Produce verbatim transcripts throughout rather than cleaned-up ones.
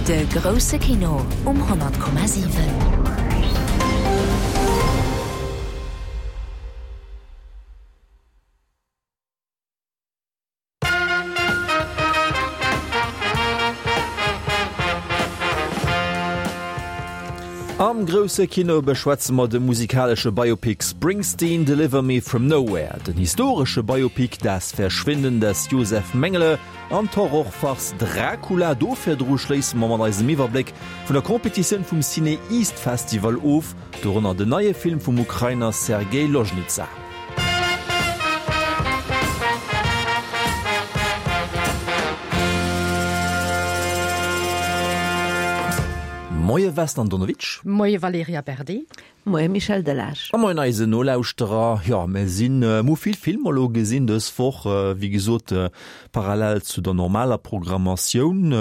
De grousse Kino um honnert Komma siwen. Am grousse Kino beschwätze mer de musikalesche Biopic Springsteen, Deliver Me From Nowhere, den historesche Biopic Das Verschwinden des Josef Mengele an d'Horrorfarce Dracula. Do virdru schléisse mer mat eisem Iwwerbléck vun der Competitioun vum CinEast Festival of, dorënner den neie Film vum Ukrainer Sergei Loznitsa. Moie Vesna Andonovic. Moie Valerija Berdi. Moie Michel Delage. A moien eisen Nolauschterer. Jo, mir sinn, mir hu vill Filmer elo gesinn dës Woch, wéi gesot, parallel zu der normaler Programmatioun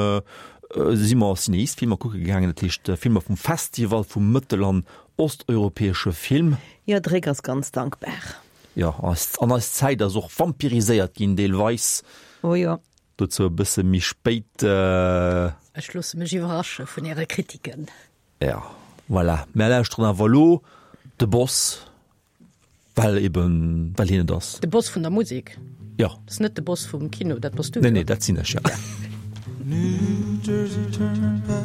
si mer Cineast-Filmer kucke gaangen, dat heescht Filmer vum Festival vum mëttel an osteuropäesche Film. Jo, de Réck ass ganz dankbar. Jo, an eis Zäit ass och vampiriséiert ginn deelweis. Oh jo. Dozou e bësse méi spéit. Ech loosse mech iwwerrasche vun Äre Kritiken. Ja, voilà. Mär lauschteren awer elo de Boss, well eben, well hien et ass. De Boss vun der Musek? Jo. Dat ass net de Boss vum Kino, dat bass du, Nee, nee, dat sinn ech, ja. New Jersey Turnpike,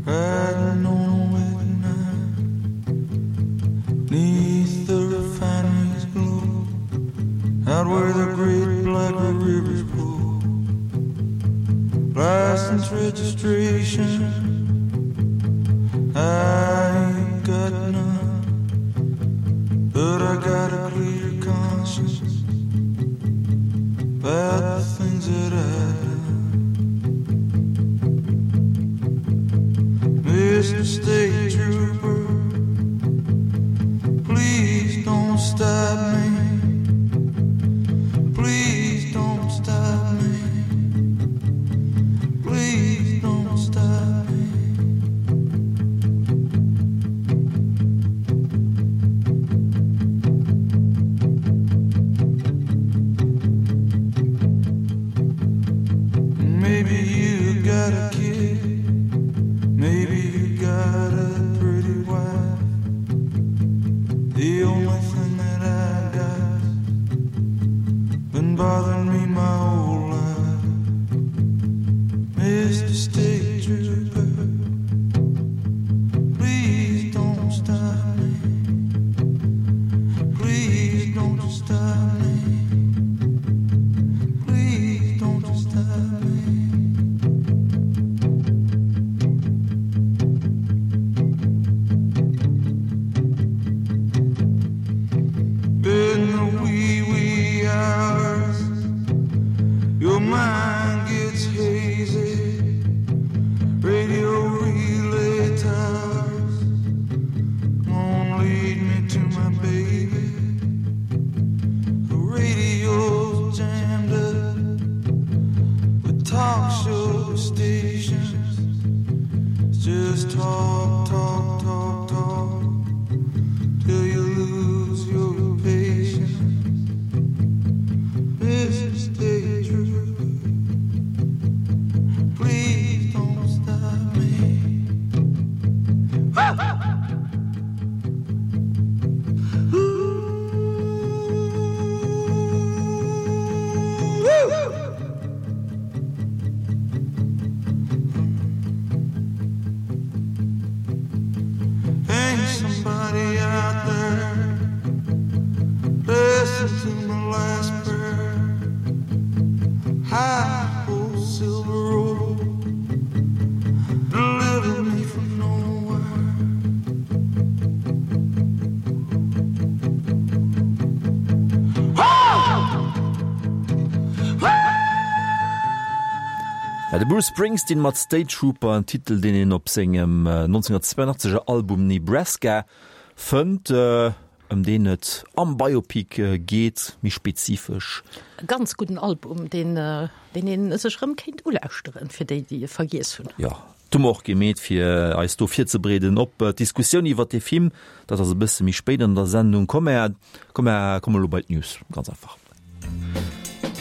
riding on a wet night, 'neath the refinery's glow, out where the great black rivers flow. License registration, I ain't got none, but I got a clear conscience about the things that I've done. Mister State Trooper, please don't stop me. Please don't stop me. Please don't stop me. Maybe you got a kid, maybe you got a pretty wife. The only thing that I got been bothering me my whole life. Mister State Trooper, please don't stop me. Please don't you stop me. Please don't you stop me. In the wee, wee hours, your mind gets hazy. Radio relay towers won't lead me to my baby. The radio's jammed up with talk show stations. It's just talk, talk, talk, talk till you lose your patience. Mister State Trooper, please don't stop me. Ain't somebody out there listen to my last prayer? Hi-ho, silver road, deliver me from nowhere. Ja, de Bruce Springsteen mat State Trooper, en Titel, deen een op sengem neunzehnhundertzweiundachtzeg er Album Nebraska fënnt, ëm deen et am Biopic geet, méi spezifesch. E ganz gudden Album, deen, deen een sech erëm kéint ulauschteren, fir déi, déi e vergiess hunn. Jo, dat hu mer och gemeet, fir eis do virzebereeden op d'Diskussioun iwwert dee Film. Dat ass e bësse méi spéit an der Sendung. Komm, mer, komm, mer komme elo bei d'News, ganz einfach.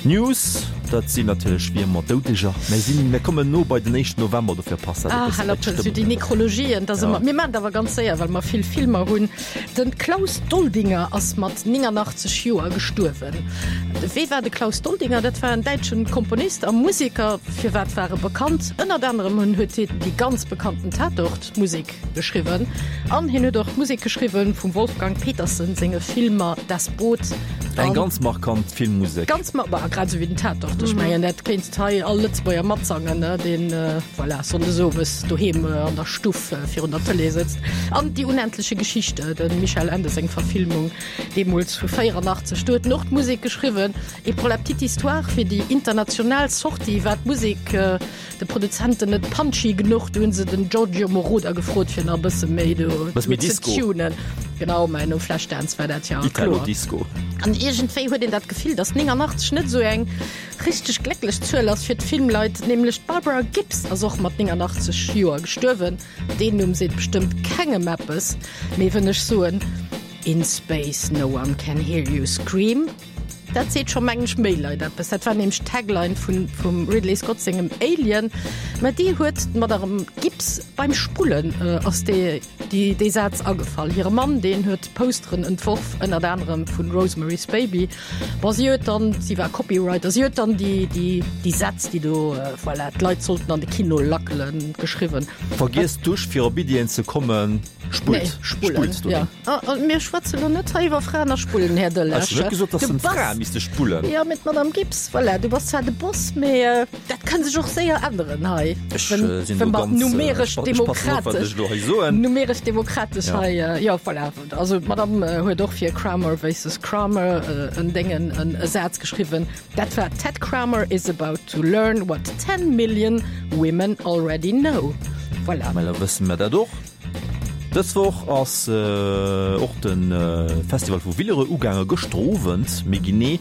News, dat sinn natierlech wéi ëmmer Doudeger. Mir sinn, mir kommen no bei den éischten November, dofir passt dat e Ah, bësse hal bei op, esou déi d'Stëmmung. Nekrologien, dat ass Ja. ëmmer. Mir maachen et awer ganz séier, well mer vill Filmer hunn. De Klaus Doldinger ass mat néngannachtzeg Joer gestuerwen. Wee war de Klaus Doldinger? Dat war en däitschen Komponist a Museker. Firwat war e bekannt? Ënnert anerem hunn huet hien déi ganz bekannten Tatort-Musek geschriwwen an hien huet och d'Musek geschriwwen vum Wolfgang Petersen senge Filmer Das Boot Eng an ganz markant Filmmusek. Ganz ma bah, grad esou wéi den Tatort. Ech mengen, dat kéinst hei all Lëtzebuerger matsangen, ne, deen, voilà, sonndes owes doheem an der Stuff virun der Tëlee sëtzt. An Die unendliche Geschichte, dem Michael Ende seng Verfilmung deemools vu véierannachtzeg, do huet en och d'Musek geschriwwen. Et pour la petite histoire, fir déi international Sortie war d'Musek de Produzenten net punchy genuch, do hunn se den Giorgio Moroder gefrot, fir nach e bësse méi do Bësse méi ze Disco. tunen. Genau, mä no Flashdance war dat ja kloer. Italo-Disco. An iergendwéi huet een dat Gefill, datt néngannachtzeg net esou eng richteg glécklech Zuel ass fir d'Filmleit. Nämlech d'Barbara Gibbs ass och mat néngannachtzeg Joer gestuerwen. Deen Numm seet bestëmmt kengem eppes, mee wënn ech soen In space no one can hear you scream, dat seet scho mengen ech méi Leit eppes. Dat war nämlech d'Tagline vun vum Ridley Scott sengem Alien. Mä déi huet d'Madame Gibbs beim Spullen ass déi déi dee Saz agefall. Hire Mann, deen huet Posteren entworf, ënnert anerem vun Rosemary's Baby. Bon, si huet dann, si war Copywriter, si huet dann déi déi déi Sätz, déi do, voilà, d'Leit sollten an de Kino lackelen, geschriwwen. Vergiesst d'Dusch fir op Iddien ze kommen, spullt, Nee, spullen, spullt ja. doheem. A, a mir schwätzen elo net hei iwwer Fraen a Spullen, Här Delage. Ech hunn net gesot, dass Du den bass, Frae misste spullen. Ja, mee d'Madame Gibbs, voilà, du bass zwar de Boss, mee dat kann sech och séier änneren hei, Ech wenn, sinn wenn do mer ganz, numeresch ech passen op, wat demokratesch, ech elo hei soen. numeresch demokratesch Ja. hei, jo, voilà. Also d'Madame huet och fir Kramer versus Kramer en Déngen, en e Saz geschriwwen, dat war Ted Kramer is about to learn what ten million women already know. Voilà. Mä da wësse mer dat och. Dës Woch ass och de Festival vu Villerupt ugaange, gëschter Owend méi genee.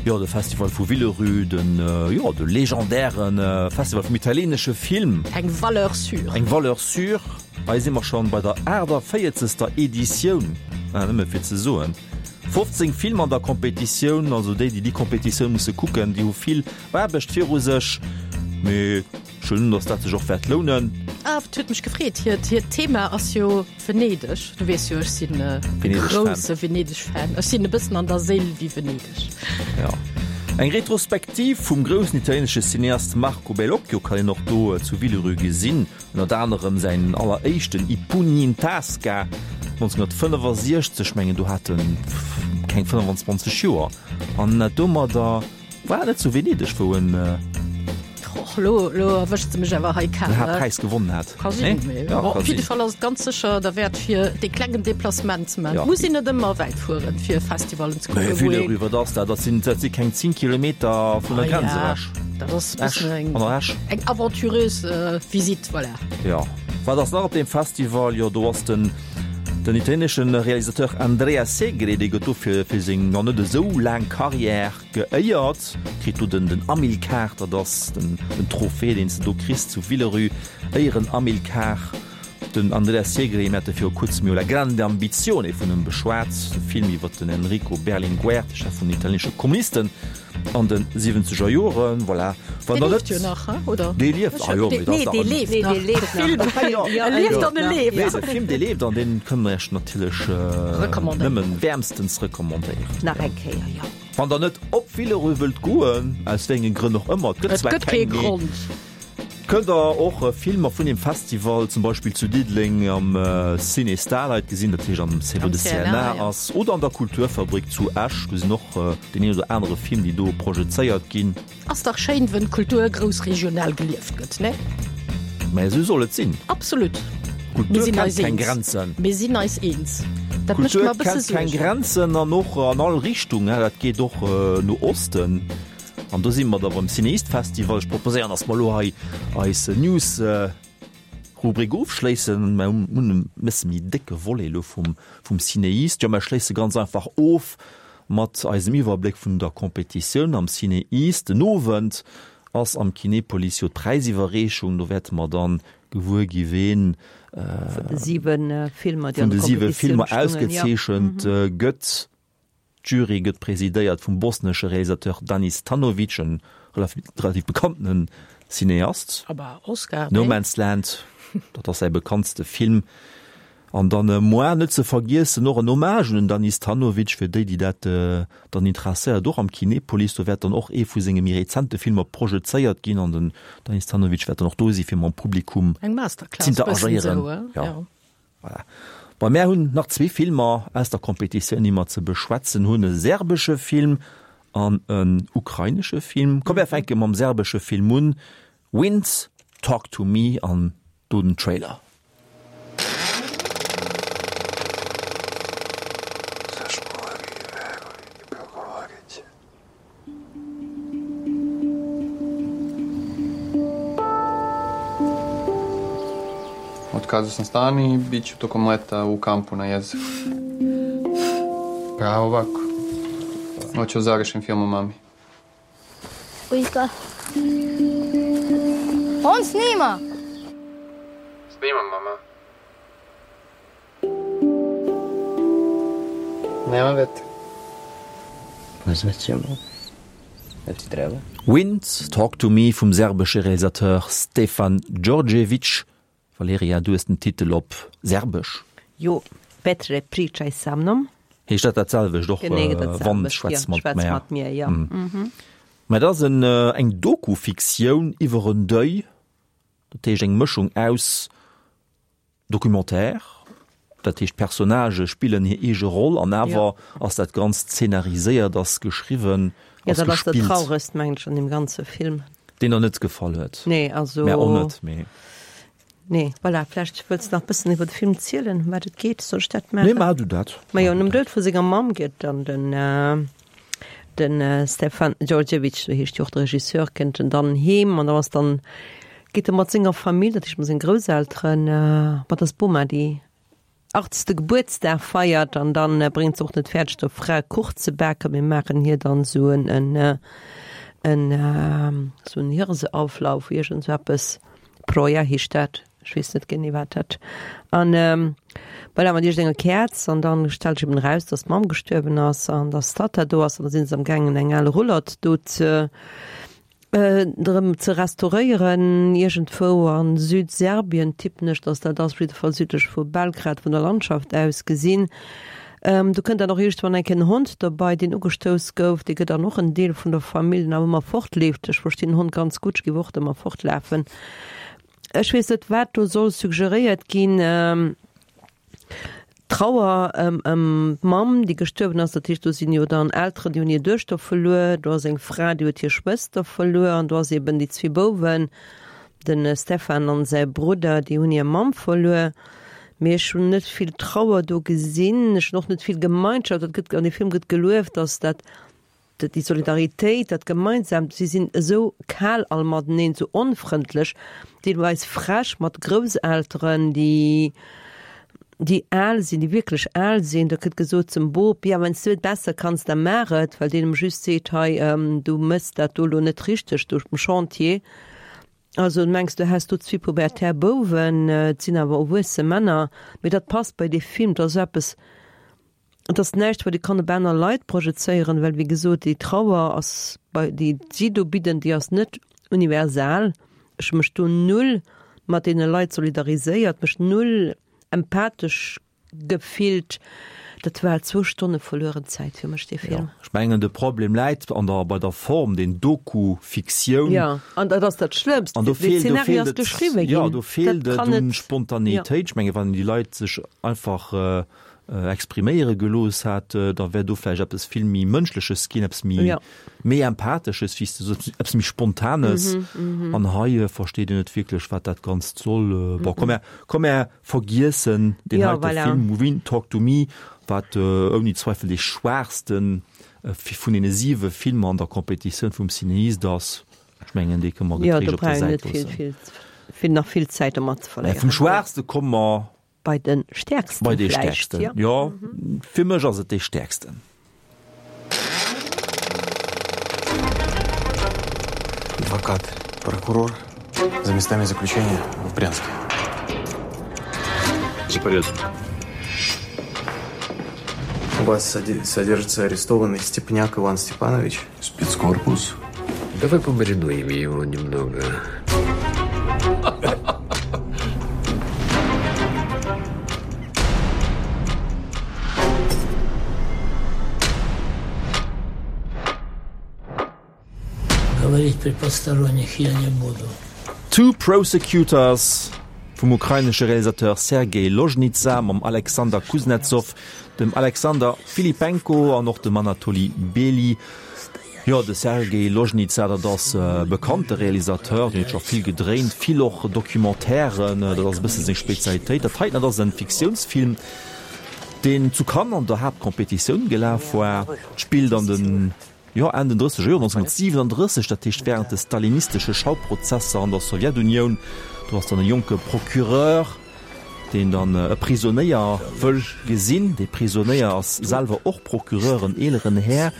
Jo, de Festival vu Villerupt, den, jo, de legendäre Festival vum italieenesche Film. Eng Valeur sûre. Eng Valeur sûre. Hei si mer schonn bei der aachtavéierzegster Editioun, nëmme fir ze soen. fofzéng Filmer an der Competitioun, also déi, déi déi Competitioun musse kucken, déi hu vill Aarbecht viru sech. Mee ech huelen un, dass dat sech och wäert lounen. Ah, et huet mech gefreet. Hiert, hiert Thema ass jo Venedeg. Du weess jo, ech sinn e Venedeg-Fan. grousse Venedeg-Fan. Ech sinn e bëssen an der Séil wéi Venedeg. Ja. Eng Retrospektiv vum groussen italienesche Cineast Marco Bellocchio kann een och do zu Villerupt gesinn. Ënnert anerem säin alleréischten I pugni in tasca nonzénhunnertfënnefasiechzeg, mengen do hat en keng fënnefanzwanzeg Joer. An domadder war et net zu Venedeg, wou en Och lo, lo erwëschts de mech awer hei kal. den Haaptpräis gewonnen hat. Ka sinn, Nee? mee Ja, bon, ka op jidde sinn. Fall ass et ganz sécher derwäert fir dee klengen Deplacement ze maachen. Ja. Muss een net ëmmer wäit fueren, fir Festivalen ze Mee kucken, wou ee. Villerupt, wat ass dat? Dat sinn, dat si keng zéng Kilometer vun der Ah Grenz ja, ewech. dat ass e Esch, bëssen eng, an der Esch. eng aventureuse Visite, voilà. Ja. Wat ass nach op deem Festival? Jo, do ass den, den italienesche Realisateur Andrea Segre, dee gëtt do fir, fir seng nach net esou laang Carrière geéiert, kritt do den, den Amilcar, dat ass den, den Trophée, deen s de do kriss zu Villerupt, Éieren-Amilcar. Den Andrea Segre, mir hate viru kuerzem jo La grande ambizione vun him beschwat, de Film iwwer den Enrico Berlinguer, de Chef vun den italieenesche Kommunisten an de siwwenzeger Joren. Voilà. Wann Dee der lieft net. jo nach, he, oder? Dee lieft, ah jo, mee dat Nee, ass dee dach en. leeft Nee, nach. dee leeft De Film, nach. jo, Ja, e lieft an e ja. leeft. Nee, de Film, dee leeft an dee kënne mer Iech natierlech Recommandéieren. nëmmen wäermstens recommandéieren. Nach eng Kéier, jo. Wann der net op Villerupt wëllt goen, aus wéi enge Grënn och ëmmer, et gëtt Et zwar gëtt kee keng, mee Grond. kënnt der och Filmer vun deem Festival zum Beispill zu Diddeleng am Ciné Starlight gesinn, dat heescht am C, wou Am de C N A, C N A ja. ass, oder an der Kulturfabrik zu Esch, do sinn och deen een oder anere Film, déi do projezéiert ginn. Ass dach schéin, wënn Kultur groussregional gelieft gëtt, ne? Mä esou soll et sinn. Absolut. Mir Kultur sinn kennt eis keng eens. Grenzen. Mir sinn eis eens. Dat mécht Kultur mer e bësse kennt keng Suergen. Grenzen an och an all Richtung, dat geet och no Osten. An do si mer da beim CinEast Festival. Ech proposéieren, dass mer elo hei eis News Rubrik ofschléissen. Mer hunn e bësse méi décke Volet elo vum vum CinEast. Jo, mer schléisse ganz einfach of mat eisem Iwwerbléck vun der Competitioun am CinEast. Den Owend ass am Kinepolis jo d'Präisiwwerreechung. Do wäerte mer dann gewuer gi ween vun de siwe Filmer, déi vun an de der siwe Competitioun Filmer stungen, ja. ausgezeechent gëtt. D'Jury gëtt presidéiert vum bosnesche Realisateur Danis Tanovic, en relativ bekanntene Cineast. Aber Oscar, No Man's Land, dat ass säi bekanntste Film. An dann moi net ze vergiessen och en Hommage un den Danis Tanovic, fir déi, déi dat dann interesséiert, och am Kinepolis, do wäert dann och ee vu senge méi rezente Filmer projezéiert ginn an den Danis Tanovic wäert dann och do si fir mam Publikum Eng Masterclass bëssen z'interagéieren. esou, Ja. ja. Voilà. Bon, mär hunn nach zwee Filmer aus der Competitioun, déi mer ze beschwätzen hunn, e serbesche Film an en ukrainesche Film. Komm, mär fänke mam serbesche Film un, Winds Talk to Me an do den Trailer. Otkazao sam stan i bit ću tokom leta u kampu na jezeru. Pravo ovako. Hoću da završim film o mami. Ujka. On snima! Snimam, mama. Nema vetra. Pozvaćemo. Jel ti treba? Wind, Talk to Me vum serbesche Realisateur Stefan Djordjevic. Valerija, du hues den Titel op Serbesch. Jo, Vetre, pričaj sa mnom. Heescht dat dat selwecht och, Genee dat Wand, selwecht, schwätz jo, mat schwätz mär. mat mir, jo. Mä dat ass en, eng Doku-Fiktioun iwwer en Deuil, dat heescht eng Mëschung aus Documentaire, dat heescht d'Personnagë spillen hir eege Roll an awer ass dat Ganzt szenariséiert, ass geschriwwen, Ja, ass dat ass dat gespillt. Trauregst, mengen ech, an deem ganze Film. Deen der net gefall huet. Nee, also. Mär och net, mee. Nee, voilà, vläicht wëlls de nach bëssen iwwer de Film zielen, ëm wat et geet, soll ech dat Nee, maachen? maach du dat. Majo, nom Doud vu senger Mamm geet dann den, den Stefan Djordjevic, sou heescht jo och de Regisseur, kënnt en dann heem an da ass dann, geet e mat senger Famill, dat heescht mat sengen Grousselteren, mat der Boma, déi achtzegste Gebuertsdag feiert an dann bréngt se och net fäerdeg der Fra Kuch ze baken, mir maachen hir dann sou en, en, en, sou en Hirseauflauf, iergend sou eppes. Proja heescht dat, ech weess net genee wat dat. An voilà, mat iergendenger Käerz an dann stellt sech eben eraus, dass d'Mamm gestuerwen ass an dass d'Tatta do ass an da sinn se am gaangen eng al Roulotte do ze erëm ze restauréieren, iergendwou a Südserbien tippen ech, dass dat ass, op jidde Fall südlech vu Belgrad vun der Landschaft aus gesinn. Do kënnt dann och iergendwann eng Kéier en Hond dobei, deen ugestouss gouf, dee gëtt dann och en Deel vun der Famill, deen awer ëmmer fortleeft. Ech verstinn den Hond ganz gutt, ech géif och ëmmer fortlafen. Ech weess net, wat do soll suggeréiert ginn. D'Trauer ëm ëm d'Mamm, déi gestuerwen ass, dat heescht, do sinn jo dann Elteren, déi hunn hir Duechter verluer, do ass eng Fra, déi huet hir Schwëster verluer an do ass eben déi zwee Bouwen, de Stefan an säi Brudder, déi hunn hir Mamm verluer. Mee ech hunn net vill Trauer do gesinn, ech hunn och net vill Gemeinschaft, dat gëtt an deem Film gëtt gelueft, datt dat déi Solidaritéit, dat Gemeinsamt, si sinn esou kal all mateneen, esou onfrëndlech, deelweis frech mat Grousselteren, déi, déi al sinn, déi wierklech al sinn. Da gëtt gesot zum Bop, ja, wann s du et besser kanns, da maach et, well deen em just seet, hei, du méchs dat do elo net richteg do um Chantier. Also mengs du häss do zwee pubertär Bouwen, et sinn awer erwuesse Männer, mee dat passt bei dee Film, dat ass eppes, Et ass näischt, wat ee kann op aner Leit projezéieren, well, wéi gesot, déi Trauer ass bei, déi si do bidden, déi ass net universal. Ech hu mech do null mat deene Leit solidariséiert, mech null empathesch gefillt. Dat war zwou Stonne verlueren Zäit fir mech, dee Film. Jo, ech mengen, de Problem läit an der, bei der Form, den Doku-Fiktioun. Jo, an dat ass dat Schlëmmst. An do De feelt, do Zeenario feelt ass et, geschriwwe jo, ginn. do feelt Dat et kann un net, jo. Spontaneitéit. Ech menge wann déi Leit sech einfach expriméiere gelooss hätt, da wär do vläicht eppes vill méi Mënschleches ginn, eppes méi, Ja. méi Empathesches, wéi s de soos, eppes méi Spontanes. Mhm, An hei versteet een net wierklech, wat dat Ganzt soll. Bon, komm mär, komm mär vergiessen deen Ja, heite voilà. Film Wind Talk to Me, wat ouni Zweifel dee schwaachste vun deene siwe Filmer an der Competitioun vum Cineast ass. Ech mengen, dee kënne mer Ja, getréischt do op der brauch een Säit net vill, loossen. vill, vill, nach vill Zäit domat ze Mä verléieren. vum schwaachste komme mer Bei de Stäerksten Bei de vläicht, Stäerksten, ja. jo. Fir mech ass et dee Stäerksten. Адвокат, прокурор за местами заключения в Брянске. За порядок. вас содержится арестованный Степняк Иван Степанович. Спецкорпус? Давай помаринуем его немного. Говорить при посторонних я не буду. Two Prosecutors vum ukrainesche Realisateur Sergei Loznica mam Alexander Kuznetsov, dem Alexander Filipenko an och dem Anatoli Bely. Jo, de Sergei Loznica, dat ass e bekannte Realisateur, deen huet scho vill gedréint, vill och Documentairen, dat ass e bësse seng Spezialitéit. Dat heiten, dat ass e Fiktiounsfilm, deen zu Cannes an der Haaptkompetitioun gelaf war, spillt an den, jo, Enn den drësseger Joren, nonzénhunnertsiwenandrësseg, dat heescht wärend de stalinistesche Schauprozesser an der Sowjetunioun. Do ass dann e jonke Procureur, deen dann e Prisonéier wëll gesinn. Dee Prisonéier ass selwer och Procureur, en eeleren Här,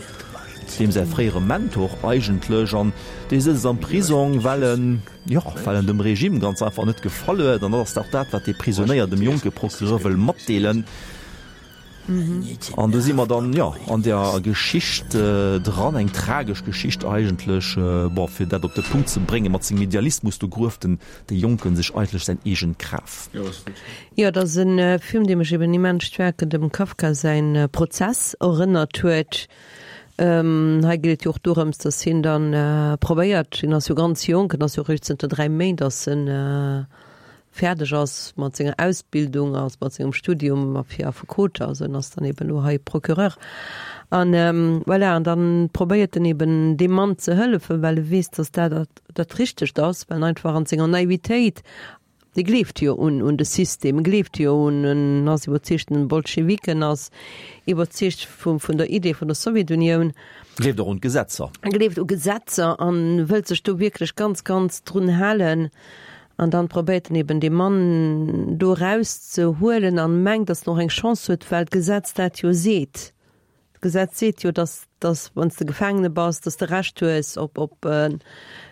deem säi fréiere Mentor eigentlech, an dee sëtzt am Prisong, well en, jo, well en dem Regime ganz einfach net gefall huet. An dat ass och dat, wat dee Prisonéier dem jonke Procureur wëll matdeelen. An do si mer dann, jo, an der Geschicht dran, eng tragesch Geschicht eigentlech. Bon, fir dat op de Punkt ze bréngen, mat sengem Idealismus, do grueft den dee Jonken sech eigentlech säin eegent Graf. Jo, et ass e Film, dee mech eben immens staark un dem Kafka säin Prozess erënnert huet. Hei geet et jo och dorëms, datt hien dann probéiert, hien ass jo ganz jonk, en ass jo eréischt zënter dräi Méint ass en fäerdeg ass mat senger Ausbildung, ass mat sengem Studium a fir Affekot, also en ass dann eben elo hei Procureur. An voilà, an dann probéiert en eben deem Mann ze hëllefen, well e weess, datt dat dat Richtegt ass, well en einfach an senger Naivitéit, e gleeft jo un un de System, e gleeft jo un, en ass iwwerzeegten Bolschewik, en ass iwwerzeegt vu vun der Idee vun der Sowjetunioun. Gleeft och un d'Gesetzer. Gleeft u Gesetzer an wëllt sech do wierklech ganz, ganz drun halen. An dann probéiert en eben dee Mann do eraus ze huelen an mengt, dass en och eng Chance huet, well d'Gesetz dat jo seet. D'Gesetz seet jo, dass, dass wann s de Gefaangene bass, dass de Recht hues op, op en,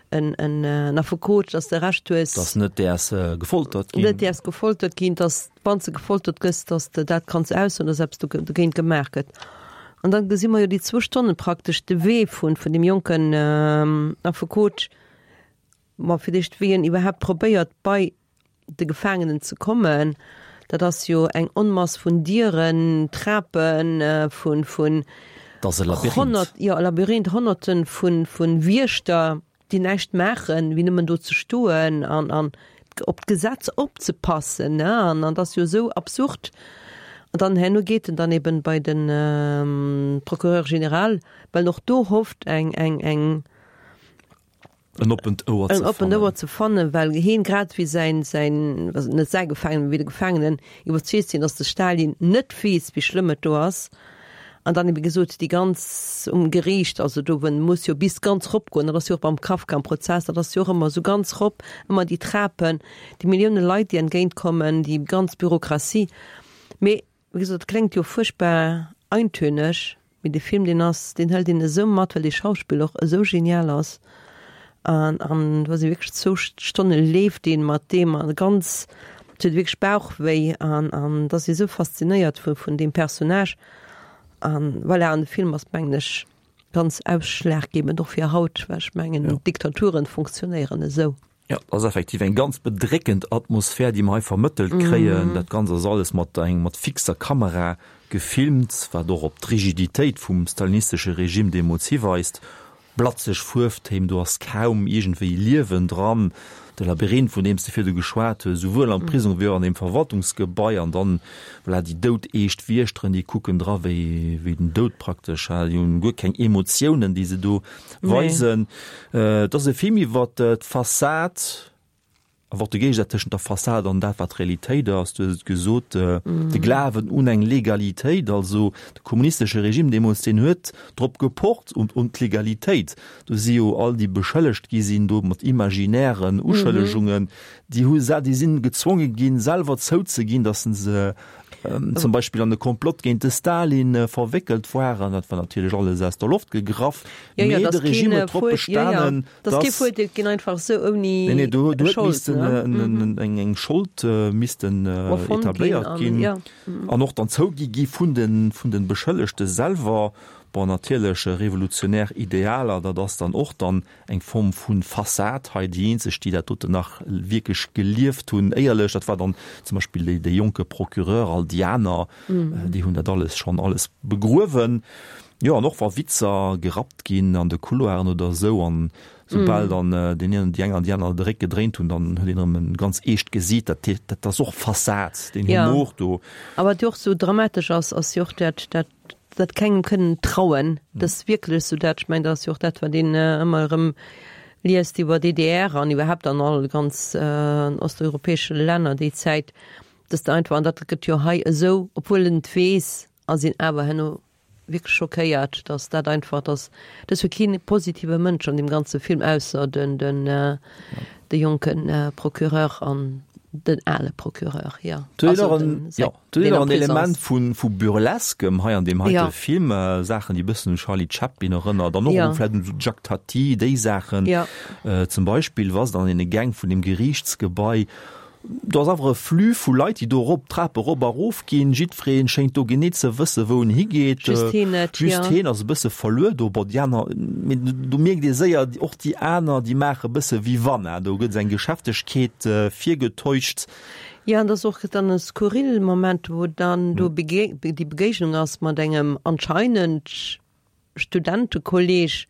en, en Affekot, dass de Recht hues, Dass net däers gefoltert ginn. Net däers gefoltert ginn, dass wann s de gefoltert gëss, dass de dat kanns aussoen, dass eppes dogéint gemaach gëtt. An dann gesi mer jo déi zwou Stonnen praktesch de Wee vun, vun deem jonken Affekot, Ma fir d'éischt, wéi en iwwerhaapt probéiert, bei de Gefaangenen ze kommen, dat ass jo eng Onmass vun Dieren, Trapen, vun, vun Dat ass e Labyrinth. honnert, jo, e Labyrinth, Honnerte vu, vu Wiechter, déi näischt maachen, wéi nëmmen do ze stoen an, an op d'Gesetz opzepassen, ne? An, an dat ass jo esou absurd. An dann herno geet en dann eben bei de Procureur général, well en och do hofft, eng, eng, eng, En oppent Ouer ze fannen. En oppent Ouer ze fannen, well hien, grad wéi säin, säin, also net säi Gefaangenen, mee wéi de Gefaangenen, iwwerzeegt sinn, datt de Stalin net weess, wéi schlëmm et do ass. An dann, wéi gesot, déi ganz um Geriicht, also do wou en muss jo bis ganz rop goen, dat ass jo och beim Kafka am Prozess, dat ass jo och ëmmer esou ganz rop, ëmmer déi Trapen, déi Millioune Leit, déi entgéint kommen, déi ganz Bürokratie. Mee, wéi gesot, et kléngt jo fuerchtbar eintöneg, Mee dee Film deen ass, deen hëlt een esou mat, well dee Schauspiller och esou genial ass an an do ass ee wierklech zwou Stonne leeft een mat deem a ganz, et huet wierklech Bauchwéi an an et ass ee esou faszinéiert vu vun deem Personnage an voilà. An de Film ass mengen ech ganz ausschlaggebend och fir haut, well ech mengen Diktaturen funktionéieren esou. Jo, et ass effektiv eng ganz bedréckend Atmosphär, déi mer hei vermëttelt kréien. Dat Ganzt ass alles mat eng mat fixer Kamera gefilmt, wat och op d'Rigiditéit vum stalinistesche Regime deemools hiweist. Blatzeg Fuerftéin, do ass kaum iergendwéi Liewen dran. De Labyrinth, vun deem s de virdu geschwat hues, esouwuel am Prisong wéi och an deem Verwaltungsgebai. An dann, voilà, déi doudeescht Wiechteren, déi kucken dra wéi wéi den Doud praktesch. Déi hunn guer keng Emotiounen, déi se do weisen. Et ass e Film iwwer d'Fassad, awer och de Géigesaz tëschent der Fassad an dat, wat Realitéit ass. Du hues et gesot, de Glawen un eng Legalitéit, also de kommunistesche Regime deemools, deen huet drop gepocht, un un d'Legalitéit. Do si jo all déi beschëllegt gi sinn do mat imaginären Uschëllegungen, déi hu déi sinn gezwonge ginn, selwer zouzeginn, datt se Zum Beispill an e Komplott géint de Stalin verwéckelt waren. Dat war natierlech alles aus der Loft gegraff. Jo, jo, Mee de dass Regime keen huet drop Fuer, jo, jo, bestanen, dass kee dass. verurteelt ginn einfach esou ouni Nee, nee, do, do huet Schold, missten ne? en, eng, eng Schold missten Erfonnt ginn etabléiert an, ginn jo. an och dann zougi gi vun den, vun den Beschëllegte selwer. Bon, natierlech revolutionär Idealer, dat ass dann och dann eng Form vu Fassad hei. Déi eenzeg, déi dat doten nach wierklech gelieft hunn, éierlech, dat war dann zum Beispill dee, dee jonke Procureur, all déi aner, déi hunn dat alles schonn alles begruewen. Jo, an och wa Witzer gerappt ginn an de Couloiren oder esou, an soubal dann deen een, déi eng an déi aner de Réck gedréint hunn, dann huet een erëm e ganz eescht Gesiit. Dat, dat ass och Fassad, deen Humor do. A wat jo och esou dramatesch ass, ass jo och dat, dat, dat kengem kënnen trauen, dat wierklech esou dat, ech mengen, dat ass jo och dat, wat een ëmmer erëm liest iwwer D D R an iwwerhaapt an all ganz osteuropäesche Länner déi Zäit, dass de einfach, an dat gëtt jo hei esou, obwuel en et weess, ass een awer herno wierklech schockéiert, dass dat einfach, dass dat ass jo keen positive Mënsch an deem ganze Film, ausser den, den, de jonke Procureur an den ale Procureur, jo. Do huet och en, jo, do huet och en Element vu, vu Burlesquem hei an deem heite Ja. Film, Saachen, déi e bëssen un Charlie Chaplin erënnert an och Ja. un vläicht un Jacques Tati, déi Saachen. Ja. Zum Beispill, wa se dann an deene Gäng vun deem Geriichtsgebai, do ass awer e Flux vu Leit, déi do erop, d'Trape erop a erof ginn. Jiddweree schéngt do genee ze wësse wou en higeet. Just heen net, Just ja. heen ass e bësse verluer do. Bon, déi aner, mee do mierkt ee séier, och déi aner, déi maache e bësse wéi wann, do gëtt eng Geschäftegkeet virgetäuscht. Jo, an dat ass och dann e skurrille Moment, wou dann do déi Begéignung ass mat engem anscheinend Studentekolleg,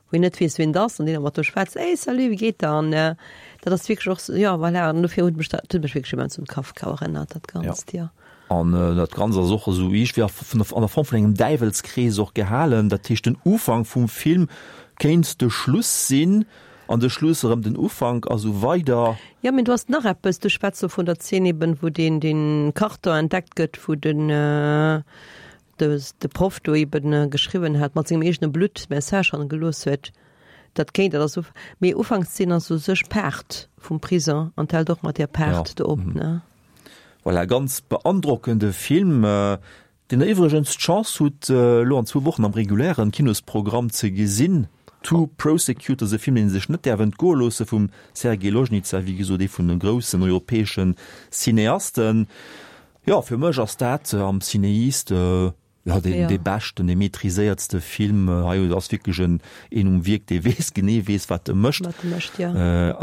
wou een net weess, wien et ass, an deen awer mat do schwätzt, Hey, salut, wéi geet der? An dat ass wierklech och, jo, voilà, an dofir huet mech dat, huet mech wierklech immens un Kafka erënnert, dat Ganzt, jo. An dat Ganzt ass och esou iergendwéi an der Form vun engem Däiwelskrees och gehalen. Dat heescht, den Ufank vum Film kéint de Schluss sinn an de Schluss erëm den Ufank a sou weider. Jo, mee du has nach eppes, du schwätz do vun der Zeen eben, wou deen, deen Karton entdeckt gëtt, wou den, de de Proff do eben geschriwwen hat, mat sengem eegene Blutt Message hannergelooss huet, dat kéint, dat ass mee Ufankszeen ass u sech Paart vum Prison an d'hält och mat där Paart do op, ne? Voilà, ganz beandrockende Film, deen der iwwregens d'Chance hutt, elo an zwou Wochen am regulären Kinosprogramm ze gesinn. Two Prosecutors, e Film, deen ee sech net däerf entgoe loosse, vum Sergej Ložnica, wéi gesot ee vun de groussen europäesche Cineasten. Jo, fir mech ass dat am Cineast, jo, deen, dee beschten, dee maîtriséiertste Film hei. Et ass wierklech en, een um Wierk, dee weess, genee weess, wat e mécht. Wat e mécht, jo.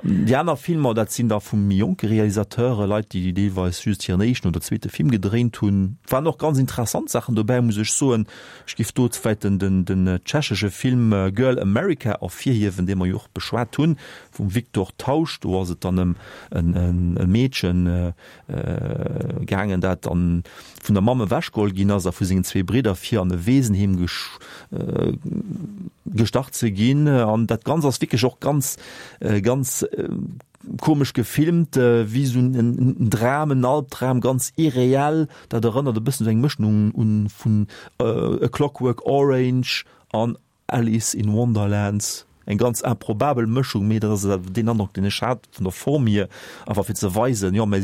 Déi aner Filmer, dat sinn da vu méi jonke Realisateure, Leit, déi deelweis just hiren éischten oder zweete Film gedréint hunn. Waren och ganz interessant Saachen dobäi, muss ech soen. Ech géif do vläicht den, den, den tschechesche Film Girl America ervirhiewen, dee mer jo och beschwat hunn, vum Viktor Tausch. Do ass et dann ëm en, en, e Meedchen, gaangen, dat dann vun der Mamm ewechgeholl ginn ass a vu sengen zwee Bridder fir an e Weesenheem gestach ze ginn. An dat Ganzt ass wierklech och ganz, ganz komesch gefilmt, wéi esou en Dram, en Albdram, ganz irreell. Dat erënnert e bëssen esou eng Mëschung un vun A Clockwork Orange an Alice in Wonderland. Eng ganz improbabel Mëschung, mee dat ass awer deen Androck, deen ech hat vun der Form hier, einfach fir ze weisen, jo, mä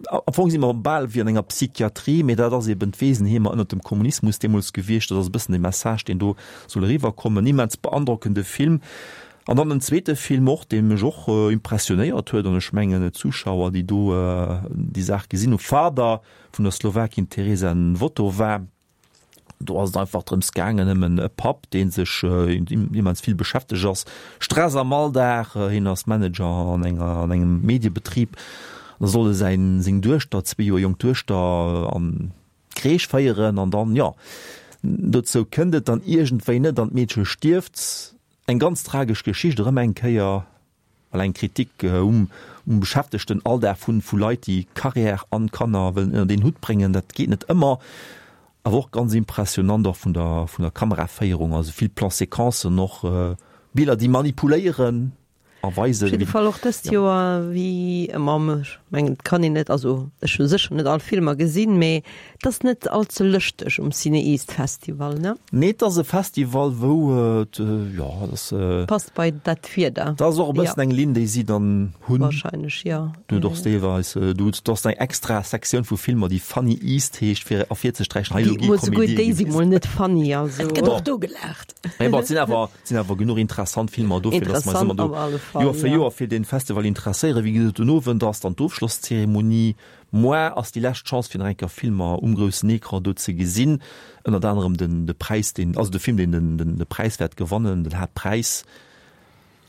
am Fong si mer bal wéi an enger Psychiatrie, mee dat ass eben d'Weesenheemer ënnert dem Kommunismus deemools gewiescht. Dat ass e bëssen de Message, deen do soll eriwwerkommen. Immens beandrockende Film. An dann en zweete Film och, dee mech och impressionéiert huet, an ech mengen d'Zuschauer, déi do déi Saach gesinn hu, Father vun der Slowakin Tereza Nvotová. Do ass et einfach drëms gaangen, ëm en Papp, dee sech immens vill beschäftegt ass, Stress am Alldag, hien ass Manager an enger, an engem Mediebetrib, da soll e säin, seng Duechter, zwee Joer jonk Duechter, an d'Crèche féieren an dann, jo, dozou kënnt et dann iergendwéi net an d'Meedche stierft. Eng ganz tragesch Geschicht erëm eng Kéier. Well eng Kritik um um beschäftegten Alldag vun vu Leit, déi Carrière an Kanner wëllen ënnert een Hutt bréngen, dat geet net ëmmer. Awer och ganz impressionant och vun der vun der Kameraféierung, also vill Plan-séquencen och, Biller déi manipuléieren erweisen. Op jidde Fall och dëst Joer, wéi ëmmer, ech mengen, et kann een net, also ech hu sécher net all Filmer gesinn, mee et ass net all ze lëschteg um CinEast Festival, ne? Nee, et ass e Festival, wou et, jo, et ass. Passt bei dat Wieder. Dat ass och e bëssen eng Linn, déi si dann hunn. Wahrscheinlech, jo. Du hutt och deelweis, du hutt, do ass eng extra Sektioun vu Filmer, déi Funny East heescht, fir ervirzesträichen, hei elo gi Déi, souguer Komedie déi si gewisen. mol net funny, also. Et gëtt och do gelaacht. Mee bon, et sinn awer, et sinn awer genuch interessant Filmer do, fir dass mer eis Interessant ëmmer do op alle Fall, Joer fir jo. Joer fir dee Festival interesséieren. Wéi gesot, den Owend ass dann d'Ofschlosszeremonie. Moar ass déi lescht Chance, fir nach eng Kéier Filmer um groussen Ecran do ze gesinn. Ënnert anerem den, de Präis, deen, also de Film, deen den, den, de Präis wäert gewannen, den Haaptpräis.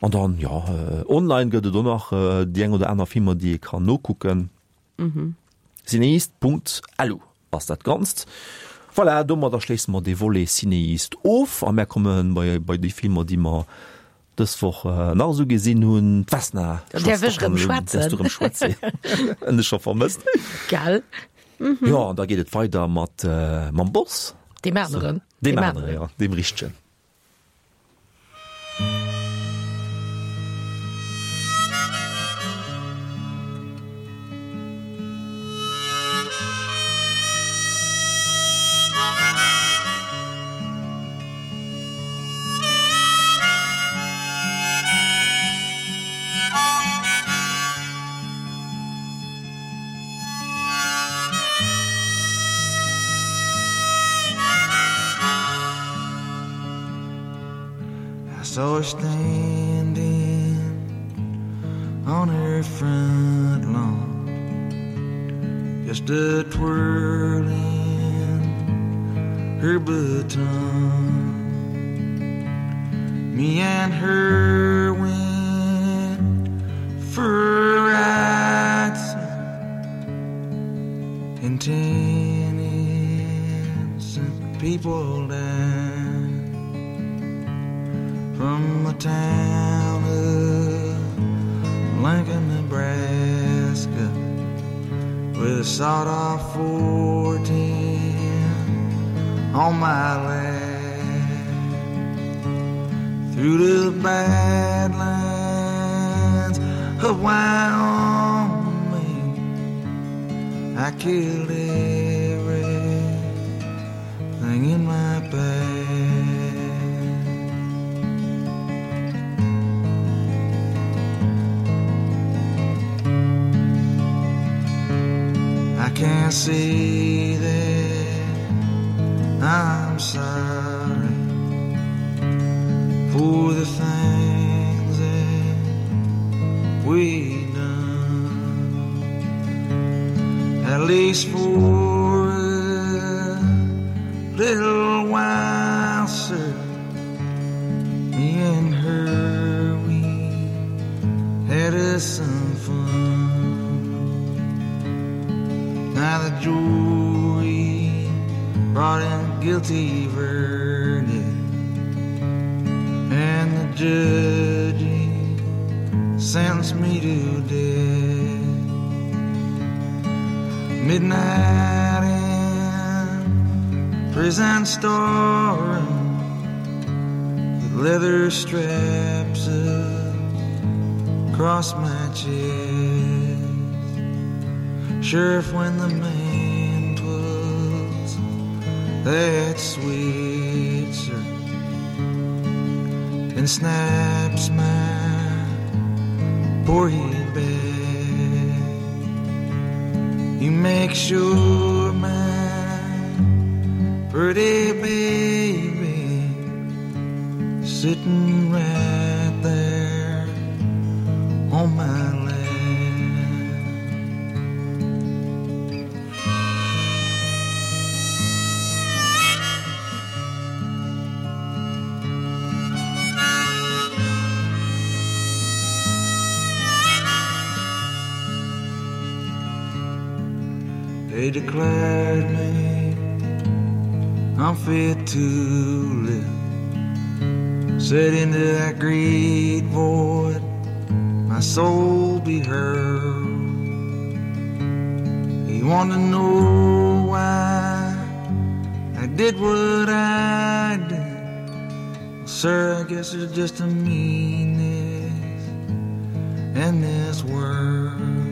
An dann, jo, online gëtt et och nach déi eng oder aner Filmer, déi ee kann nokucken. Cineast Punkt lu ass dat Ganzt. Voilà, domadder schléisse mer dee Volet Cineast of a mär komme bei, bei déi Filmer, déi mer dës Woch nach esou gesinn hunn. D'Vesna, Da däerf ech erëm schwätzen. Däerfs du erëm schwätzen. Hunn dech scho vermësst. Gell? Jo, an da geet et weider mat, mam Boss. Deem aneren. Deem aneren, jo, deem richtegen. I saw her standing on her front lawn, just a twirling her baton. Me and her went for a ride, and ten innocent people died from the town of Lincoln, Nebraska, with a sawed-off four ten on my lap. Through the badlands of Wyoming, I killed everything in my path. I can't say that I'm sorry for the things that we done. At least for a little while, sir, me and her, we had us some fun. Now the jury brought in a guilty verdict, and the judge sentenced me to death. Midnight in prison storeroom, with leather straps across my chest. Sheriff, when the man puts that switch, sir, and snaps my poor head back, you make sure my pretty baby sitting right there on my lap. They declared me unfit to live. Said into that great void, my soul be hurled. He wanted to know why I did what I did. Well, sir, I guess it's just a meanness in this world.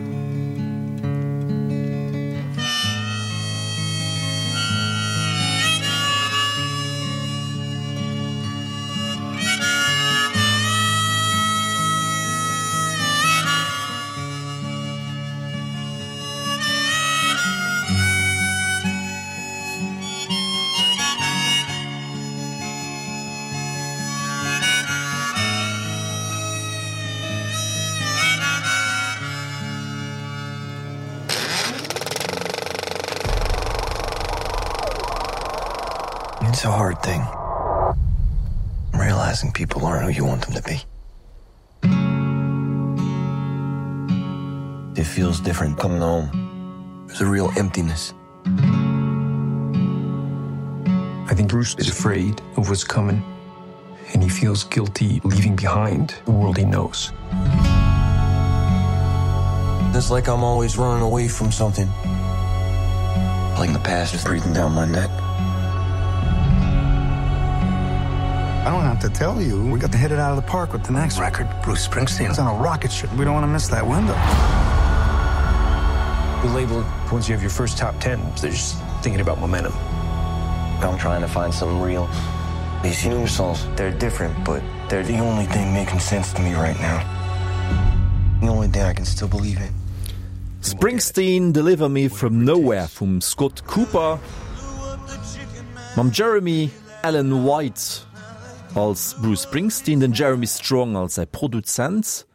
It's a hard thing. Realizing people aren't who you want them to be. It feels different coming home. There's a real emptiness. I think Bruce is afraid of what's coming, and he feels guilty leaving behind the world he knows. It's like I'm always running away from something. Like the past is breathing down my neck. I don't have to tell you, we got to hit it out of the park with the next record. Bruce Springsteen is on a rocket ship. We don't want to miss that window. The label, once you have your first top ten, they're just thinking about momentum. I'm trying to find something real. These new songs, they're different, but they're the only thing making sense to me right now. The only thing I can still believe in. Springsteen Deliver Me From Nowhere vum Scott Cooper mam Jeremy Allen White als Bruce Springsteen, den Jeremy Strong als säi Produzent,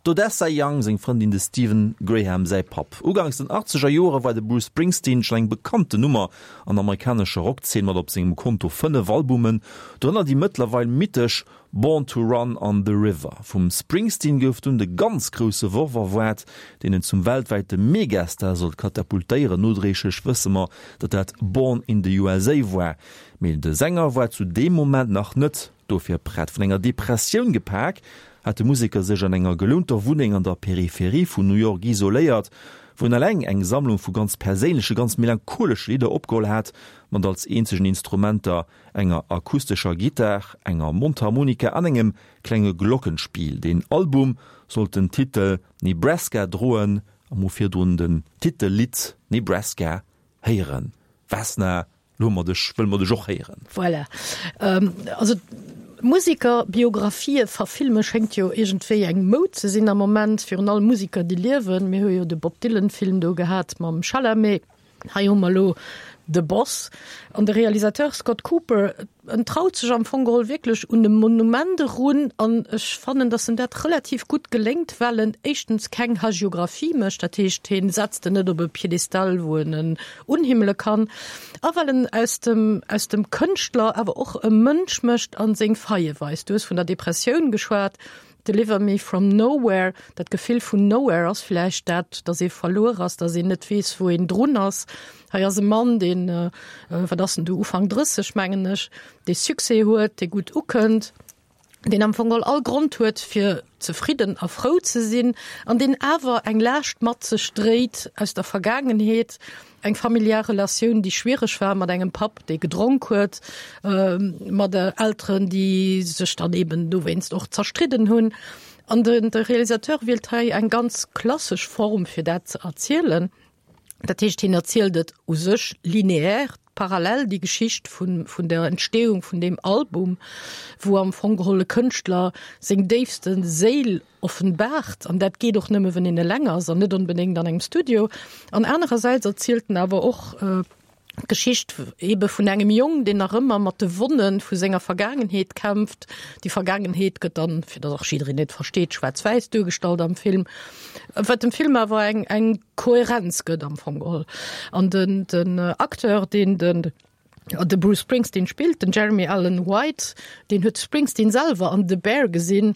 d'Odessa Young seng Frëndin, de Stephen Graham säi Papp. Uganks den achtzeger Jore war de Bruce Springsteen schonn eng bekannten Nummer an der amerikanescher Rockzeen mat op sengem Konto fënnef Albumen, dorënner déi mëttlerweil mythesch Born to Run an The River. Vum Springsteen gouf dunn de ganz grousse Worf erwaart, deen en zum weltwäite Megastar sollt katapultéieren. Nodréiglech wësse mer, datt dat Born in the USA war, mee de Sänger war zu deem Moment nach net dofir prett. Vun enger Depressioun gepak, hat de Museker sech an enger gelounter Wunneng an der Peripherie vun New York isoléiert, wou en eleng eng Sammlung vu ganz perséinleche, ganz melancholesche Lidder opgeholl hat, mat als eenzegen Instrumenter enger akustescher Gittar, enger Mondharmonika an engem klenge Glockenspiel. Den Album sollt den Titel Nebraska droen, a mer hu virdrun den Titellidd Nebraska héieren. Vesna, Lo hu mer dech, wëlle mer dech och héieren. Voilà. Also Musekerbiografië verfilme schéngt jo iergendwéi eng Moud ze sinn am Moment, virun allem Museker, déi liewen. Mir hu jo de Bob Dylan-Film do gehat mam Chalamet. Hei hu mer elo The Boss. An de Realisateur Scott Cooper, en traut sech am Fong geholl wierklech un e Monument erun. An ech fannen, dass em dat relativ gutt geléngt, well en éischtens keng Hagiographie mécht, dat heescht, hien setzt en net op e Piedestal, wou en en unhimmele kann, a well en aus dem, aus dem Kënschtler awer och e Mënsch mécht a seng Faille weist. Du hues vun der Depressioun geschwat, Deliver me from nowhere, dat Gefill vun nowhere ass vläicht dat, dass ee verluer ass, dass een net weess, wou een drun ass. Hei ass e Mann, deen, wat ass en do, Ufank drësseg, mengen ech, dee Succès huet, dee gutt ukënnt, deen am Fong geholl all Grond huet, fir zefridden a frou ze sinn, an deen awer eng Laascht mat sech dréit aus der Vergaangenheet, eng familiär Relatioun, déi schwiereg war mat engem Papp, dee gedronk huet, mat Elteren, déi sech dann eben dowéinst och zerstridden hunn. An de Realisateur wielt hei eng ganz klassesch Form, fir dat ze erzielen. Dat heescht, hien erzielt et u sech lineaire, parallel, déi Geschicht vun, vun der Entstehung vun deem Album, wou am Fong geholl e Kënschtler seng déifste Séil offenbaart. An dat geet och nëmme, wann een eleng ass an net onbedéngt an engem Studio. An anerersäits erzielt en awer och d'Geschicht ebe vun engem Jong, deen nach ëmmer mat de Wonne vu senger Vergaangenheet kämpft. Déi Vergaangenheet gëtt dann, fir datt och jiddereen et versteet, schwaarz-wäiss duergestallt am Film, wat dem Film awer eng, eng Kohärenz gëtt am Fong geholl. An den, den Acteur, deen den, de Bruce Springsteen spillt, den Jeremy Allen White, deen huet Springsteen selwer an The Bear gesinn.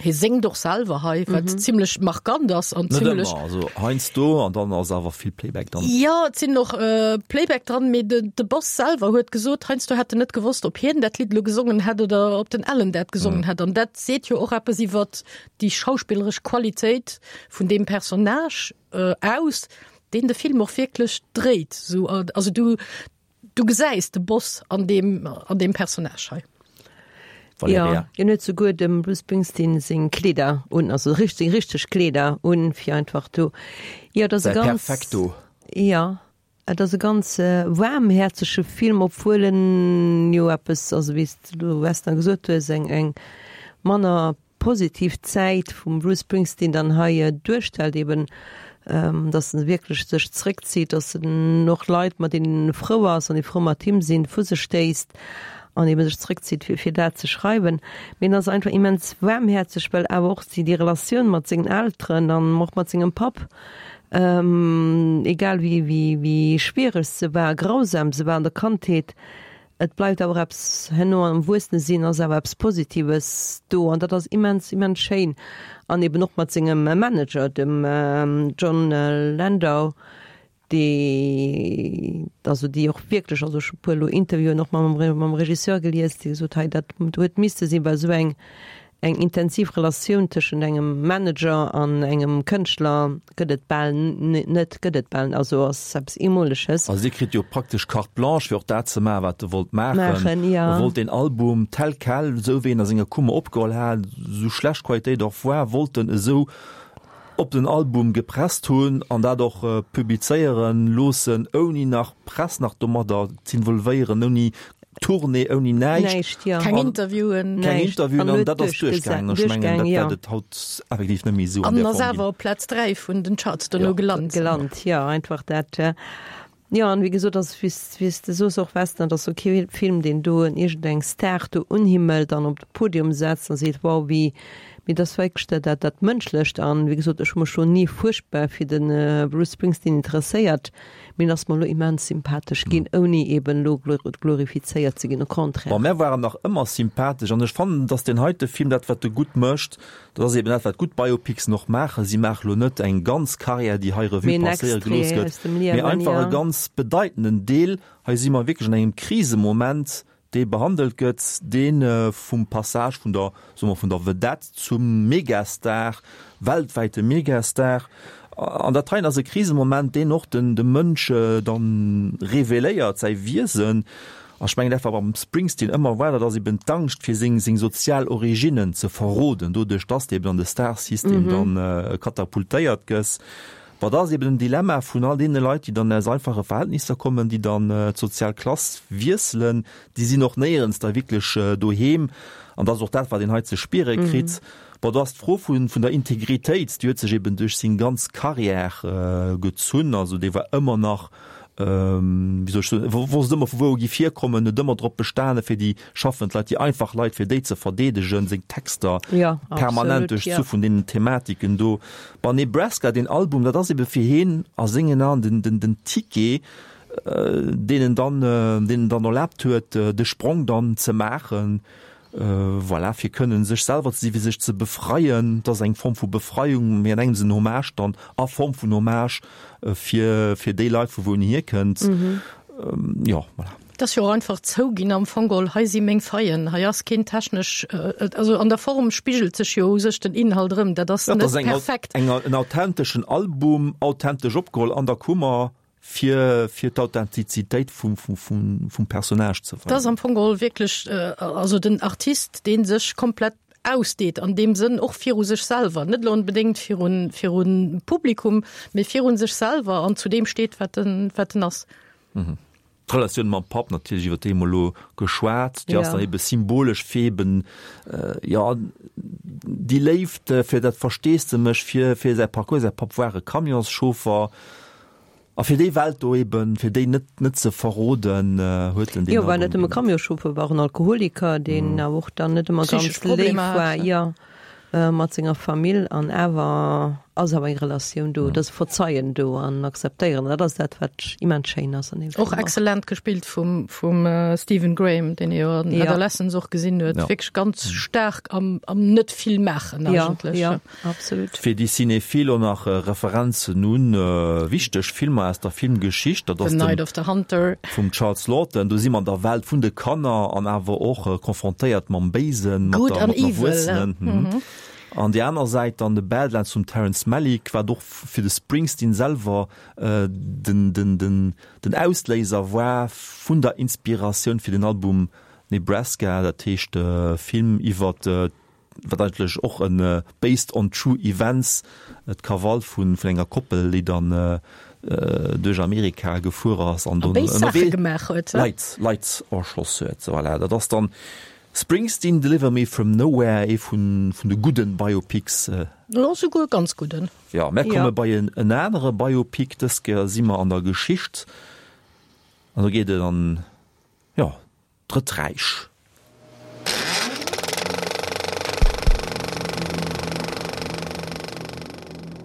Hie séngt och selwer hei, wat mhm. zimmlech markant ass an zimmlech. Also heiansdo an dann ass awer vill Playback dran. Jo, et sinn och äh, Playback dran, mee de, de Boss selwer huet gesot, heiansdo hätt en net gewosst, ob hien dat Lidd lo gesongen hätt oder ob den Allen dat gesongen mhm. hätt. An dat seet jo och eppes iwwer déi schauspilleresch Qualitéit vun deem Personnage äh, aus, deen de Film och wierklech dréit. So, also du, du gesäis de Boss an deem, an deem Personnage hei. Valerija. Jo, hien huet souguer dem Bruce Springsteen seng Kleeder un, also richteg, seng richteg Kleeder un, fir einfach do, jo, et ass e Säi ganz, Perfekto. jo, et ass e ganz waarmhäerzege Film, obwuel en jo eppes, also wéi s de elo, Westner, gesot hues, eng, eng manner positiv Zäit vum Bruce Springsteen dann hei duerstellt, eben dass en wierklech sech zréckzitt, dass en och Leit, mat deenen en frou ass an déi frou mat him sinn, vu sech stéisst an eben sech zréckzitt, fir fir dat ze schreiwen. Mee en ass einfach immens waarmhäerzeg, well awer och déi Relatioun mat sengen Elteren an och mat sengem Papp, egal wéi wéi wéi schwiereg se war, grausam se war an der Kandheet, et bleift awer eppes herno am Erwuessene-Sinn ass awer eppes Positives do an dat ass immens, immens schéin. An eben och mat sengem Manager, dem Jon Landau, déi, also déi och wierklech, also ech hu puer elo Interviewen och mam mam Regisseur gelies, déi gesot hei dat huet misste sinn, well esou eng eng intensiv Relatioun tëschent engem Manager an engem Kënschtler gëtt et bal net, gëtt et bal, also ass eppes Eemoleges. Also dir kritt jo praktesch Carte blanche fir och dat ze maachen, wat e wollt maachen. Maachen, jo. E wollt deen Album tel quel, esou wéi en a senger Kummer opgeholl hat, esou schlecht d'Qualitéit och war, wollt en esou op den Album gepresst hunn an dat och publizéieren loossen, ouni nach Press nach domadder z'involvéieren, ouni Tournée, ouni näischt. Näischt, jo. Keng Interviewen. Keng Näischt. Interviewen, An an huet dat ass duerchgesa-, duerchgaangen. Ech mengen, duerchgaang, dat jo. wäert et haut effektiv net méi esou an An där ass Form ginn. awer op Plaz dräi vun den Charts dono Jo. gelant. Gelant, jo, einfach dat. Jo, an wéi gesot, ass, wéi s, wéi s de soos och, Westner, et ass ok Film, deen do en iergendeng Star do unhimmelt an op de Podium setzt a seet, wow, wéi, mee et ass wierklech dat, dat, dat Mënschlecht. An wéi gesot, ech hu mech scho ni fuerchtbar fir de Bruce Springsteen interesséiert, mee en ass mer elo immens sympathesch ginn, ouni eben elo glorifizéiert ze ginn, au contraire. Bon, mär waren nach ëmmer sympathesch an ech fannen, dass deen heite Film dat, wat e gutt mécht, Dat ass eben dat, wat gutt Biopicsen och maachen. Si maache lo net eng ganz Karriär, déi hei Revue passéiere gelooss gëtt, mee einfach e ganz bedeitenden Deel. Hei si mer wierklech an engem Krisemoment, dee behandelt gëtt, dee vum Passage vun der, soe mer, vun der Vedette zum Megastar, weltwäite Megastar. An dat heien ass e Krisemoment, deen och den de Mënsch dann reveléiert, säi Wiesen. A ech mengen, dat wat beim Springsteen ëmmer war, dat ass eben d'Angscht fir seng seng sozial Originnen ze verroden, doduerch dass de eben an de Starsystem dann katapultéiert gëss. Bon, dat ass eben den Dilemma vun all deene Leit, déi dann aus einfache Verhältnisser kommen, déi dann d'sozial Klass wiesselen, déi sinn och néierens da wierklech doheem. An dat ass och dat, wat een hei ze spiere kritt. Bon, do ass d'Fro vun vun der Integritéit, déi huet sech eben duerch seng ganz Carrière gezunn. Also dee war ëmmer nach, wéi soll ech soen, wosst ëmmer vu wou e giff hierkommen, huet ëmmer drop bestane fir déi schaffend Leit, déi einfach Leit, fir déi ze verdeedegen, seng Texter Ja, permanent absolut, duerchzu ja. vun deenen Thematiken do. Bon, Nebraska, deen Album, dat ass ebe fir hien a sengen Aen den, den, den Ticket, deen en dann, deen en dann erlaabt huet, de Sprong dann ze maachen. Voilà, fir kënnen sech selwer ze sinn, fir sech ze befreien. Et ass eng Form vu Befreiung, mee an engems en Hommage dann, a Form vun Hommage fir, fir déi Leit, vu wou en hierkënnt. Jo, voilà. Et ass jo och einfach zouginn am Fong geholl, hei si meng Faillen, hei ass keen technesch, also an der Form spigelt sech jo u sech den Inhalt erëm, dat ass net perfekt. Dat ass en authenteschen Album, authentesch opgeholl an der Kummer. fir fir d'Authentizitéit vum vum vum vum Personnage ze Dat ass weisen. am Fong geholl wierklech also den Artist, dee sech komplett ausdeet, an deem Sënn och viru sech selwer, net elo onbedéngt virun virun Publikum, mee virun sech selwer an zu deem steet, wat en wat en ass. Mhm. D'Relatioun mam Papp natierlech, iwwer déi hu mer elo geschwat, déi ass Ja. dann ebe symbolesch fir eben, jo, déi Léift, fir dat Versteesdemech fir fir säi Parcours. Säi Papp war e Camionschauffer. A fir déi Welt do eben, fir déi net net ze verroden, huet en deen Jo, war net Album ëmmer gemaach. Camionschauffer, war och en Alkoholiker, deen awer och dann net ëmmer Psychesch ganz léif Problemer war, hat. jo, mat senger Famill. An awer ass awer eng Relatioun do, et ass e Verzeien do an Akzeptéieren. Dat ass dat, wat immens schéin ass an deem Och Film och. exzellent gespillt vum vum Stephen Graham, deen ee jo an Ja. Adolescence och gesinn huet. Ja. Wierklech ganz staark am am net vill maachen Ja, eigentlech. ja, absolut. Fir déi Cinéphile och nach Referenzen un wichteg Filmer aus der Filmgeschicht, dat ass The den Night of the Hunter. vum Charles Laughton. Do si mer an der Welt vun de Kanner an awer och konfrontéiert mam Béisen, mat Good der, an mat den Evil, Erwuessenen. Mhm. An déi aner Säit dann The Badlands vum Terrence Malick, wat och fir de Springsteen selwer den, den, den, den Ausléiser war vun der Inspiratioun fir den Album Nebraska, dat heescht Film iwwer wat eigentlech och en based on true events, d'Krawall vun vun enger Koppel, déi dann duerch Amerika gefuer ass an dunn ënnerwee Leit Leit erschoss huet. Voilà, dat ass dann Springsteen, Deliver Me From Nowhere, ee vun vun de gudden Biopics. Jo, souguer ganz gudden. Jo, mär komme bei en en anere Biopic, dës Kéier si mer an der Geschicht an do geet et an, jo, d'Drëtt Räich.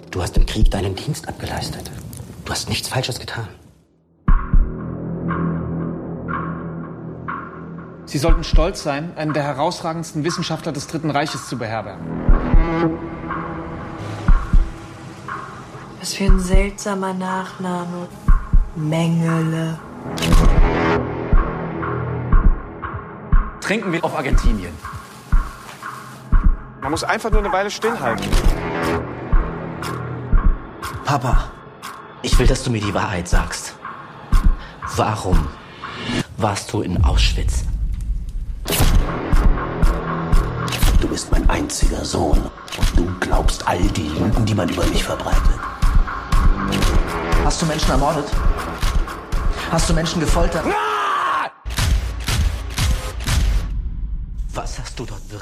Du hast im Krieg deinen Dienst abgeleistet. Du hast nichts Falsches getan. Sie sollten stolz sein, einen der herausragendsten Wissenschaftler des Dritten Reiches zu beherbergen. Was für ein seltsamer Nachname. Mengele. Trinken wir auf Argentinien. Man muss einfach nur eine Weile stillhalten. Papa, ich will, dass du mir die Wahrheit sagst. Warum warst du in Auschwitz? Du bist mein einziger Sohn und du glaubst all die Lügen, die man über mich verbreitet. Hast du Menschen ermordet? Hast du Menschen gefoltert? Ah!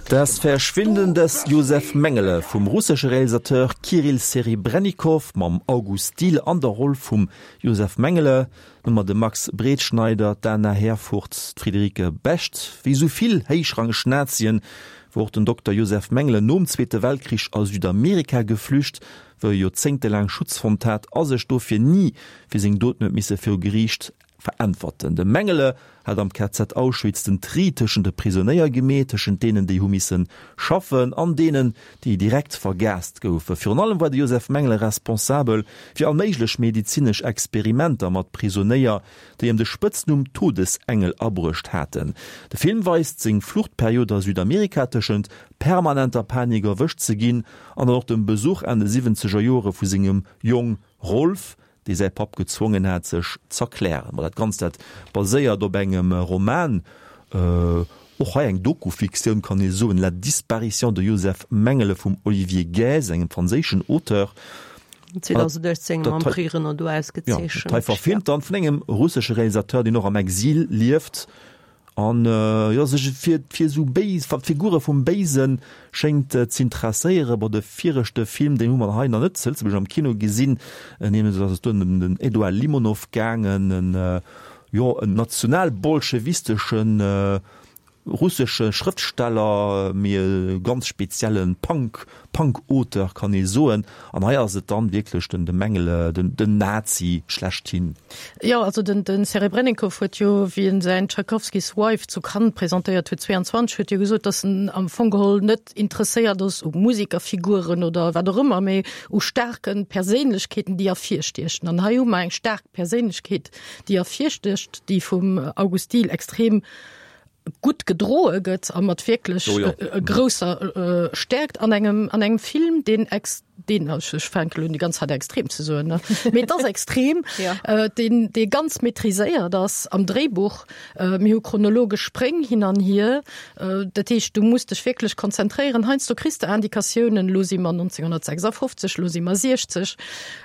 Das Verschwinden des Josef Mengele vum russesche Realisateur Kirill Serebrennikov mam August Diehl an der Roll vum Josef Mengele, hu mer de Max Bretschneider, d'Anna Herfurth, d'Friederike Becht. Wéi esou vill héichrangeg Nazien wor och den Dokter Josef Mengele nom Zweete Weltkrich a Südamerika geflücht, wou e joerzéngtelaang Schutz fonnt hat a sech dofir ni fir seng Doten huet misse viru Geriicht veräntwerten. De Mengele hat am K Z Auschwitz den Tri tëschent de Prisonéier gemeet, tëschent deenen, déi hu misse schaffen an deenen, déi direkt vergaast goufen. Virun allem war de Josef Mengele responsabel fir all méiglech medezinesch Experimenter mat Prisonéier, déi em de Spëtznumm Todesengel abruecht haten. De Film weist seng Fluchtperiod a Südamerika tëschent permanenter Panik erwëscht ze ginn an dann och dem Besuch Enn de siwwenzeger Jore vu sengem Jong Rolf, dee säi Papp gezwongen hat, sech z'erklären. Ma dat Ganzt, dat baséiert op engem Roman, och hei eng Doku-Fiktioun, kann ee soen, La disparition de Joseph Mengele vum Olivier Guez, engem franséischen Auteur. zweitausenduechtzéng mam Prix Renaudot ausgezeechent. Dat hei verfilmt dann vun engem russesche Realisateur, deen och am Exil lieft. An jo, sech fir fir esou béis Figure vum Béise schéngt z'interesséieren. Bon, de viregte Film, deen hu mer hei nach net zu Lëtzebuerg am Kino gesinn, nämlech ass et do ëm den Edouard Limonov gaangen, en jo en nationalbolschewisteschen russesche Schrëftsteller, mee e ganz spezielle Punk, Punk-Auteur kann ee soen. An hei ass et dann wierklech den de Mengele, den den Nazi schlechthin. Jo, also den den Serebrennikov huet jo, wéi en säin Tchaikovskys Wife zu Cannes presentéiert huet, zwéianzwanzeg, huet jo gesot, datt en am Fong geholl net interesséiert ass u Musikerfiguren oder wat och ëmmer, mee u staarke Perséinlechkeeten, déi ervirstiechen. An hei hu mer eng staark Perséinlechkeet, déi ervirstécht, déi vum August Diehl extrem gutt gedroe gëtt a mat wierklech oh ja. grousser Stäerkt an engem an engem Film, deen ex deen ech fänken elo un déi ganz Zäit extrem ze soen, ne? Mee et ass extrem, ja. deen dee ganz maîtriséiert ass am Dréibuch. Mir hu chronologesch Spréng hin an hier. Dat heescht, du muss dech wierklech konzentréieren. Heiansdo kriss de Indikatiounen, elo si mer neunzehnhundertsechsundfünfzig, elo si mer siechzeg.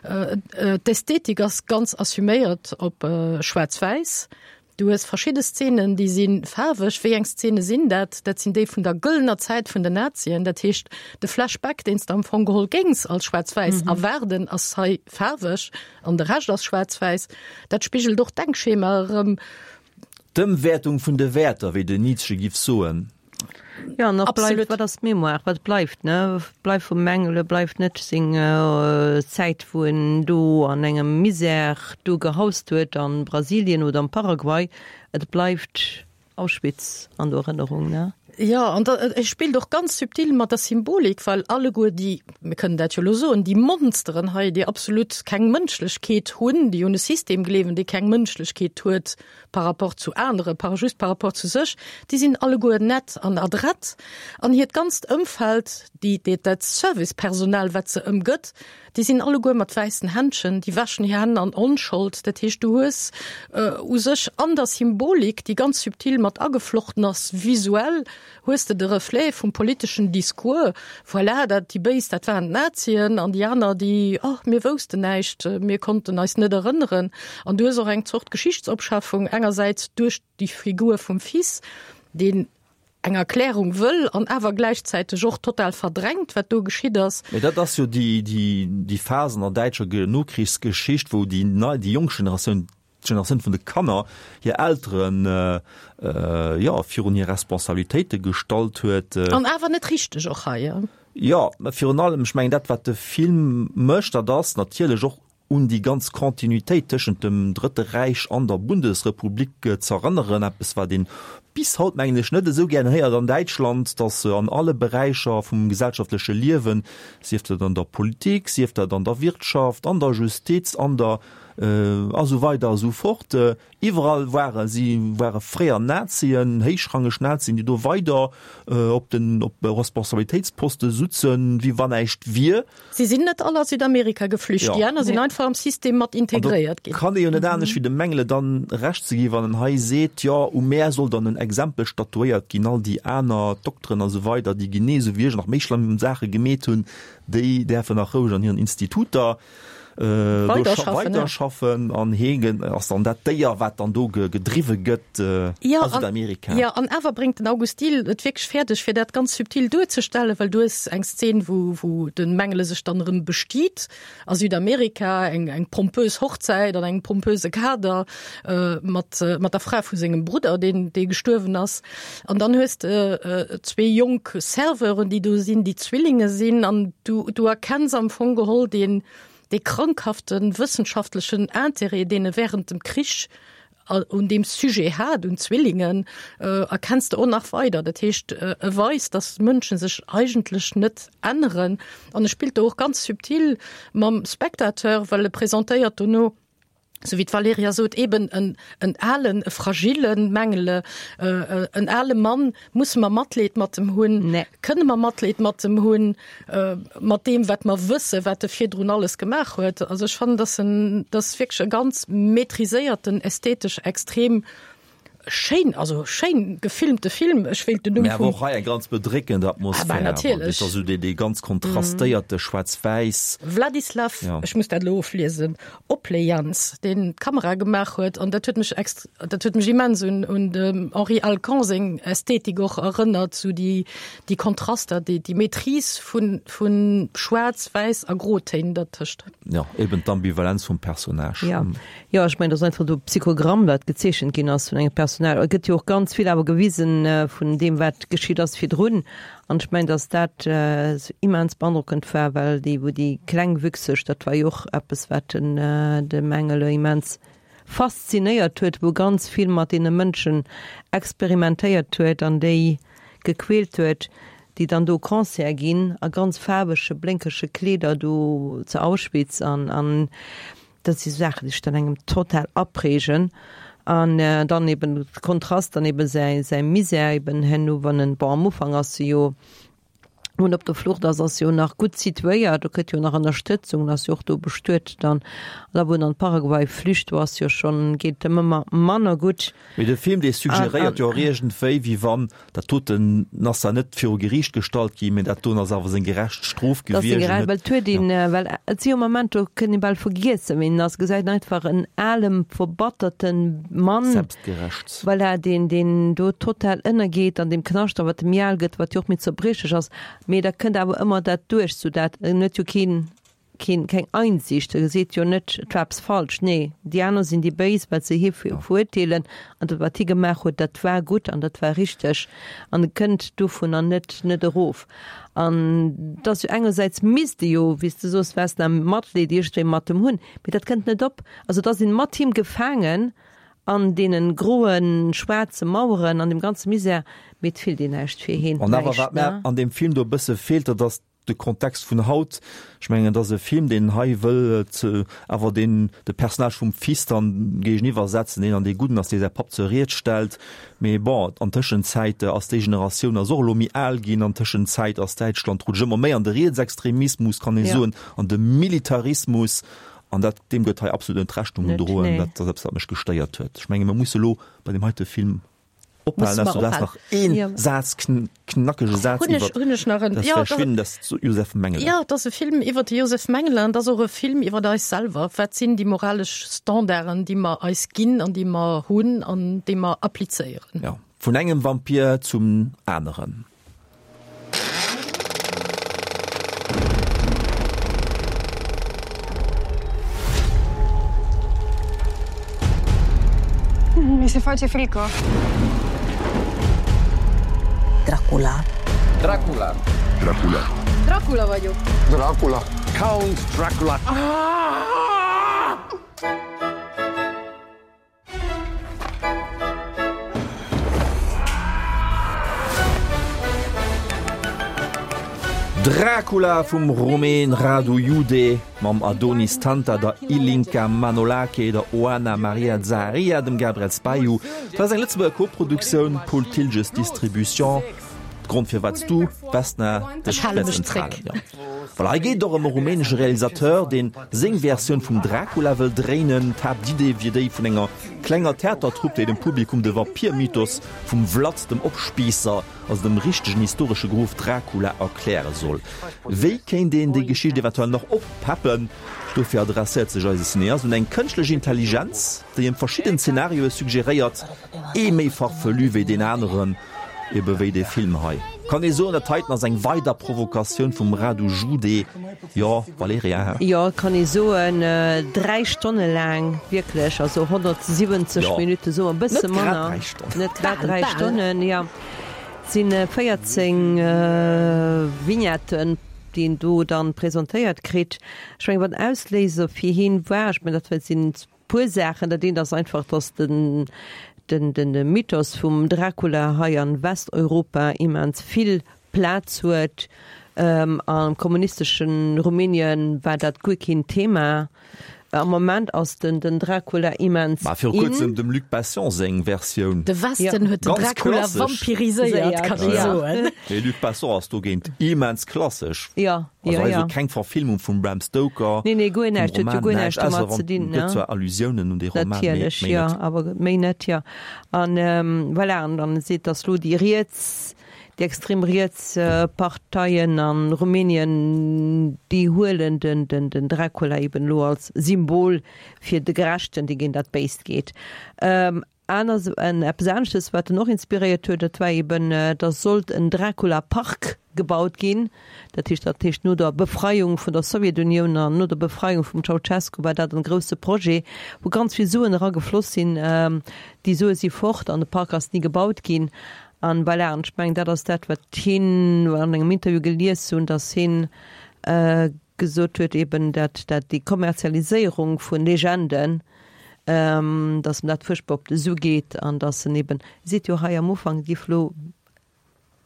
D'Ästhetik ass ganz assuméiert op schwaarz-wäiss. Du hues verschidde Szenen, déi si faarweg. Wéi eng Szene sinn dat? Dat sinn déi vun der gëllener Zäit vun den Nazien. Dat heescht, de Flashback, deen s de am Fong geholl géings als schwaarz-wäiss erwaarden, ass hei faarweg an de Rescht ass schwaarz-wäiss. Dat spigelt och d'Denkschema erëm. D'Ëmwäertung vun de Wäerter, wéi den Nietzsche giff soen. Jo, an och bleift, wat ass d'Mémoire, wat bleift, ne? Bleift vum Mengele, bleift net seng Zäit, wou en do an engem Misère do gehaust huet a Brasilien oder am Paraguay, et bleift Auschwitz an der Erënnerung, ne? Jo, an da, e spillt och ganz subtil mat der Symbolik, well alleguer déi, mir kënnen dat jo elo soen, déi Monsteren hei, déi absolut keng Mënschlechkeet hunn, déi un e System gleewen, dee keng Mënschlechkeet huet par rapport zu anere, par just par rapport zu sech, déi sinn alleguer nett an adrett. An hiert ganzt Ëmfeld, déi, déi, dat Servicepersonal, wat se ëmgëtt, Déi sinn alleguer mat wäissen Händschen, déi wäschen hir Hänn an Onschold. Dat heescht, du hues u sech an der Symbolik, déi ganz subtil mat ageflochten ass, visuell hues de de Reflet vum politeschen Discours, voilà, dat déi Béis, dat waren d'Nazien an déi aner, déi, oh, mir woussten näischt, mir konnten eis net erënneren. An du hues och eng Zort Geschichtsopschaffung engersäits duerch déi Figur vum Fils, deen eng Erklärung wëll an awer gläichzäiteg och total verdrängt, wat do geschitt ass. Mee dat ass jo déi, déi, déi Phas an der däitscher Nokrichsgeschicht, wou déi nei, déi jonk Generatioun, d'Generatioun vun de Kanner, hir Elteren, jo, virun hir Responsabilitéite gestallt huet. An awer net richteg och hei. Jo, mä virun allem, ech mengen, dat wat de Film mécht, dat ass natierlech och un déi ganz Continuitéit tëschent dem Drëtte Räich an der Bundesrepublik z'erënneren, eppes wat een bis haut, mengen ech, net esou gären héiert an Däitschland, datt an alle Beräicher vum gesellschaftleche Liewen, sief dat an der Politik, sief dat an der Wirtschaft, an der Justiz, an der a sou weider a sou fort, iwwerall ware si ware fréier Nazien, héichrangeg Nazien, déi do weider op den op Responsabilitéitsposte sutzen, wéi wann näischt wier. Si sinn net all a Südamerika geflücht, déi aner sinn einfach am System mat integréiert ginn. An do kann ee jo net anescht wéi dem Mengele dann Recht ze ginn, wann en hei seet, jo u mär soll dann en Exempel statuéiert ginn, all déi aner Dokteren a sou weider, déi genee esou wéi ech nach méi schlëmm Saache gemeet hunn, déi däerfen nach roueg an hiren Instituter weiderschaffen an hee ass dann dat Déier, wat dann do gedriwwe gëtt a Südamerika. Jo, an awer bréngt den August Diehl et wierklech fäerdeg, fir dat ganz subtil duerzestellen, well du hues eng Szen, wou, wou de Mengele sech dann erëm bestiet a Südamerika, eng, eng pompös Hochzäit an engem pompöse Kader mat, mat der Fra vu sengem Brudder, deen, dee gestuerwen ass. An dann hues de zwee jonk Serveuren, déi do sinn, déi Zwillinge sinn, an du, du erkenns am Fong geholl deen, Dee krankhafte wëssenschaftlechen Interêt, deen e während dem Krich un deem Sujet hat, un Zwillingen, erkenns de och nach weider. Dat heescht, e weist, datt Mënsche sech eigentlech net änneren. An e spillt do och ganz subtil mam Spectateur, well e presentéiert dono, sou wéi d'Valerija sot, eben en, en alen, e fragile Mengele, en ale Mann, musse mer Matleed mat em hunn? Nee. Kënne mer Matleed mat em hunn, mat deem, wat mer wëssen, wat e virdrun alles gemaach huet? Also ech fannen, dass en, dass wierklech e ganz maîtriséierten, ästhetesch extrem schéin, also schéin gefilmte Film. Ech wéilt den Numm Mä awer vum. och hei eng ganz bedréckend Ah bah, Atmosphär. Dat natierlech. ass esou dee, dee ganz kontrastéierte Schwaarz-Wäiss. Vladislav, Ja. ech muss dat elo ofliesen, Oplejans, deen d'Kamera gemaach huet, an dat huet mech ext, dat huet mech immens un, un dem Henri Alcan seng Ästhetik och erënnert, sou déi, déi Kontraster, déi, déi Maîtrise vun, vun Schwaarz, Wäiss a Grotéin dertëscht. Ja, eben d'Ambivalenz vum Personnage. Ja, jo, ech mengen, dat ass einfach do Psychogramm, wat gezeechent ginn ass vun engem Personal. Et gëtt jo och ganz vill awer gewisen vun deem, wat geschitt ass virdrun. An ech mengen, datt dat esou immens beandrockend war, well déi, wou déi Klengwüchseg, dat war jo och eppes, wat den de Mengele immens faszinéiert huet, wou ganz vill mat deene Mënschen experimentéiert huet an déi gequält huet, déi dann do Concert ginn a ganz faarwege, blénkege Kleeder do zu Auschwitz an an dat si Saachen, déi sech dann engem total aprägen. An dann eben de Kontrast, dann eben säi säi Misär eben herno, wann en, bon am Ufank ass e jo, wou en op der Flucht ass, ass jo nach gutt situéiert, do kritt jo nach Ënnerstëtzung, ass jo och do bestuet dann. An da wou en an Paraguay flücht, do ass jo schonn, geet em ëmmer manner gutt. Mee de Film, dee suggeréiert jo och iergendwéi, wéi wann dat doten ass zwar net viru Geriicht gestallt ginn, mee dat doen ass awer seng gerecht Strof Dat ass seng gewiescht. gerecht, well et huet een, well et si jo Momenter, do kënnt ee bal vergiessen, wien en ass, gesäit en einfach en alem, verbatterte Mann, Selbstgerecht. voilà, deen, deen do total ënnergeet an deem Knascht a wat em méi al gëtt, wat jo och méi zerbriechlech ass, mee da kënnt awer ëmmer dat duerch, sou dat en huet jo keen, keen, keng Einsicht, e seet jo net, et war eppes falsch, nee, déi aner sinn déi Béis, well se hie verurteelen an dat, wat hie gemaach huet, dat war gutt an dat war richteg an e kënnt dovunner net, net erof. An et ass jo engersäits misst e jo, wéi s de soos, Vesna, Matleed iergendwéi mat em hunn, mee dat kënnt net op. Also et ass een mat him gefaangen an deenen groen, schwaarze Maueren, an dem ganze Misär, mee et fillt een näischt fir hien, An awer näischt, wat mär ne? an deem Film do e bësse feelt, dat ass de Kontext vun haut. Ech mengen, et ass e Film, deen hei wëll awer deen de Personnage vum Fils dann géigeniwwer setzen, deen an dee Gudden ass, dee säi Papp zur Ried stellt. Mee bon, an Tëschenzäit ass déi Generatioun ass och elo méi al ginn. An Tëschenzäit ass Däitschland rutscht ëmmer méi an de Rietsextremismus, kann ee soen, an de Militarismus. An dat, deem gëtt hei absolut net Rechnung gedroen. Dat ass eppes, wat mech gestéiert huet. Ech menge mer musse elo bei deem heite Film ophalen. Ausser du häss nach ee Saz, knackege Saz iwwer das Verschwinden des Josef Mengele. Jo, et ass e Film iwwer de Josef Mengele an et ass och e Film iwwer eis selwer. Wat sinn déi moralesch Standarden, déi mer eis ginn an déi mer hunn an déi mer applizéieren? Jo, vun engem Vampir zum aneren. Mi se face frică. Dracula. Dracula. Dracula. Dracula vagyok. Dracula. Count Dracula. Dracula vum Rumän Radu Jude mam Adonis Tanta, der Ilinca Manolache, der Oana Maria Zaharia, dem Gabriel Spahiu. Dat ass eng Lëtzebuerger Koproduktioun, Paul Thiltges Distribution. Grond firwat s du, Vesna, dech Ech hale wäerts mech zréck. enthalen. Jo. Voilà, hei geet et och ëm e rumänesche Realisateur, deen seng Versioun vum Dracula wëll dréinen. D'Haaptidee wier déi vun enger klenger Theatertrupp, déi dem Publikum de Vampir-Mythos vum Vlad dem Opspiisser, also dem richtegen historesche Grof Dracula, erkläre soll. Wéi kéint een déi Geschicht eventuell nach oppeppen? Dofir adresséiert sech eise Cineast un eng kënschtlech Intelligenz, déi em verschidden Zenarioe suggeréiert, ee méi farfelu wéi deen aneren. Ebe wéi dee Film hei. Kann ee soen, dat heiten ass eng weider Provokatioun vum Radu Jude? Jo, Valerija, hä? Jo, kann ee soen. Dräi Stonne laang, wierklech, also honnertsiwwenzeg Jo, Minutte, soe mer e bësse net grad manner. dräi Stonnen. Net grad Bal, dräi bal. Stonnen, jo. Et si véierzéng Vignetten, déi een do dann presentéiert kritt. Ech mengen, wat den Ausléiser fir hien war, ech mengen, dat sinn puer Saachen. Dat eent ass einfach, dass den, den, den Mythos vum Dracula hei an Westeuropa immens vill Plaz huet. Am kommunistesche Rumänien war dat guer keen Thema. Am Moment ass den, den Dracula immens Mä viru in. kuerzem dem Luc Besson seng Versioun. De Westen huet den Ganz Dracula klassesch. vampiriséiert, kann ee soen. Mee Luc Besson ass dogéint immens klassesch. Jo. Also Jo, hei jo. esou keng Verfilmung vum Bram Stoker, Nee, nee, guer vum näischt. Huet jo Roman, guer näischt. näischt Ausser domat ze wann, dinn, gëtt ne? zwar Allusiounen un dee Roman, mee Natierlech, méi jo, net. awer méi net, jo. An voilà, an dann seet, dass lo déi riets, déi extrem riets Parteien a Rumänien, déi huelen den, den, den Dracula eben lo als Symbol fir de Gerechten, dee géint dat Béist geet. Aner, en eppes aneschtes, wat en och inspiréiert huet, dat war eben, da sollt en Dracula-Park gebaut ginn. Dat heescht, dat heescht no der Befreiung vun der Sowjetunioun an no der Befreiung vum Ceaucescu war dat en grousse Projet, wou ganz vill Suen eragefloss sinn. Déi Sue si fort an de Park ass ni gebaut ginn. An voilà, an ech mengen, dat ass dat, wat hien an engem Interview gelies hunn, datt hien gesot huet eben, dat dat déi Kommerzialiséierung vun Legenden, dass em dat fuerchtbar op de Su geet an dass en eben seet, jo hei am Ufank, giff lo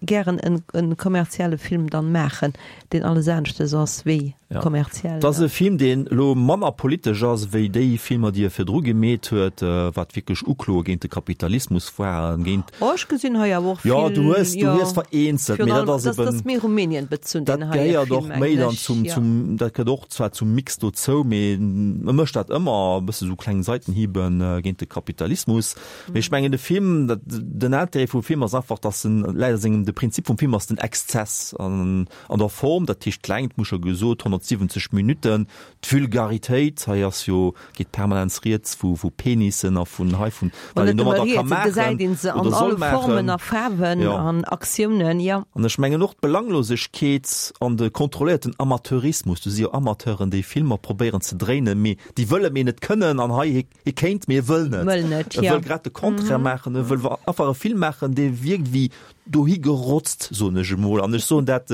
gären en en kommerzielle Film dann maachen, deen alles aneschtes ass wéi kommerziell. Et ass e Film, deen elo manner politesch ass wéi déi Filmer, déi e virdru gemeet huet, wat wierklech Ukloe géint de Kapitalismus waren, géint. Oh, ech gesinn hei awer och Jo, vill, du hues, du jo, hues vereenzelt, virun mee dat allem, ass dat eben, ass méi Rumänien bezunn, dat deen heie gehéiert Film, och méi mengen dann ech, zum, jo. zum, dat gëtt och zwar zum Mix dozou, mee e mécht dat ëmmer e bësse sou kleng Seitenhiebe géint de Kapitalismus. Mee ech mengen de Film, dat, den Intérêt vum Film ass einfach, dass en läit a sengem, de Prinzip vum Film ass den Exzess an, an der Form, dat heescht d'Längt, muss scho gesot, honnertsiwwenzeg Minutten, d'Vulgaritéit, hei ass jo, geet permanent rieds vu, vu Penissen a vun hei vun, An wat een net nëmme domadder ka rieds, et gesäit maachen een se an oder soll alle Formen maachen. a Faarwen Jo. an Aktiounen, jo. An ech mengen och d'Belanglosegkeet an de kontrolléierten Amateurismus, do si jo Amateuren, déi Filmer probéieren ze dréinen, mee déi wëlle mee net kënnen an hei, hie, hie kéint, mee e wëll net. Wëll net, E jo. wëll grad de Contraire maachen, e wëll einfach e Film maachen, dee wierkt wéi dohi gerotzt, soen ech emol. An ech soen dat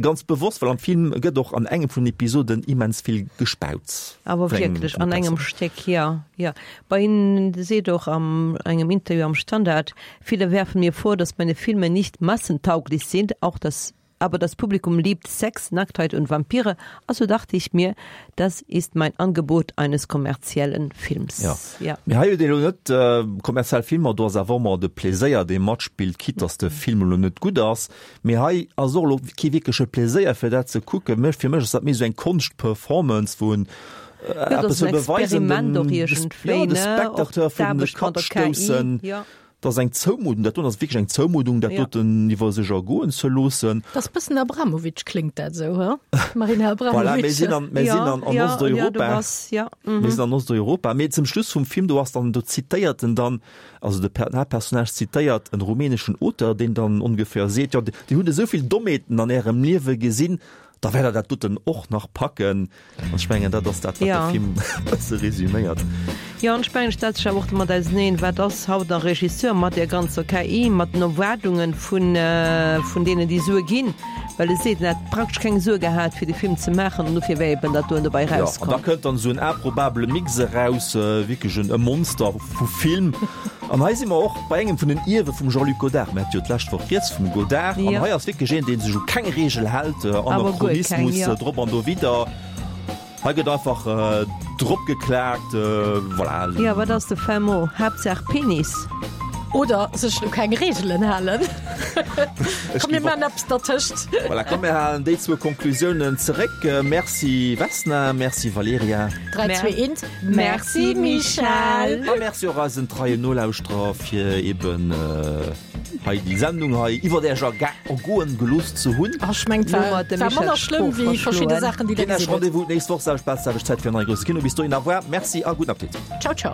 ganz bewosst, well am Film gëtt och an engem vun den Episoden immens vill gespaut. Awer wierklech an engem Stéck, jo, jo. Bei hien seet och am engem Interview am Standard, Viele werfen mir vor, dass meine Filme nicht massentauglich sind, auch das aber das Publikum liebt Sex, Nacktheit und Vampire, also dachte ich mir, das ist mein Angebot eines kommerziellen Films. Ja. Ja. Mee hei huet een elo net kommerziell Filmer, do ass awer ëmmer de Pleséier, dee matspillt, quitte dass de Film elo net gutt ass. Mee hei ass och elo kee wierkleche Pleséier fir dat ze kucken. Mech, fir mech ass dat méi esou eng Konschtperformance, wou en Ja, dat eppes ass en wëll beweisen, Experiment den, och de, ja, iergendwéi, de ne? Och Spectateur virun de d'Aarbecht Kapp mat der K I, stoussen. jo. Dat ass eng Zoumuddung, dat doen ass wierklech eng Zoumuddung, dat Ja. doten iwwer sech ergoen ze loossen. Dat ass bëssen Abramovic, kléngt dat esou, he? Marina Voilà, Abramovic. mir sinn an, mir sinn an, an Ja, ja, Osteuropa. du bass, ja, mhm. Mir sinn an Osteuropa. Mee zum Schluss vum Film, do ass dann, do zitéiert en dann, also de Per-, den Haaptpersonnage zitéiert en rumäneschen Auteur, deen dann ongeféier seet, jo, Dir hutt esou vill Dommheeten an Ärem Liewe gesinn, Da wäert der dat doten och nach packen. An ech mengen, dat ass dat, wat de Film e bësse resüméiert. Jo, an ech mengen, et stellt sech awer och domat auseneen, wat ass haut en Regisseur mat där ganzer K I, mat den Erwaardunge vun, vun deenen, déi Sue ginn, well e seet, en hätt praktesch keng Sue gehat, fir de Film ze maachen, an dofir wär eben dat doen dobäi Jo, an da erauskomm. kënnt dann esou en improbabele Mix eraus, wierklech en e Monster vu Film. An hei si mer och bei engem vun den Ierwe vum Jean-Luc Godard. Mir hate jo d'lescht Woch rieds vum Godard. An Jo. hei ass wierklech een, dee sech u keng Reegel hält, Awer guer keng, Anachronismus jo. drop an dowidder. Hei gëtt einfach drop geklaakt, voilà. Jo, wat ass de fin mot? Haaptsaach Penis. Oder sech u keng Reegelen halen. Ech Komm, mir géif och. maachen eppes dertëscht. Voilà, komm mir halen déi zwou Konklusiounen zeréck. Merci Vesna, merci Valerija. Dräi, zwee, eent, Merci Michèle. A merci och eisen treien Nolauschterer fir eben hei déi Sendung hei iwwert Äech ergoen gelooss ze hunn. Ech mengen, et war, war manner schlëmm wéi verschidde Saachen, déi Der Ginn Äech gesinn hutt. Rendez-vous d'nächst Woch, selwecht Plaz, selwecht Zäit fir en neie Grousse Kino. Bis dohin, au revoir, merci a gudden Appetit. Ciao, ciao.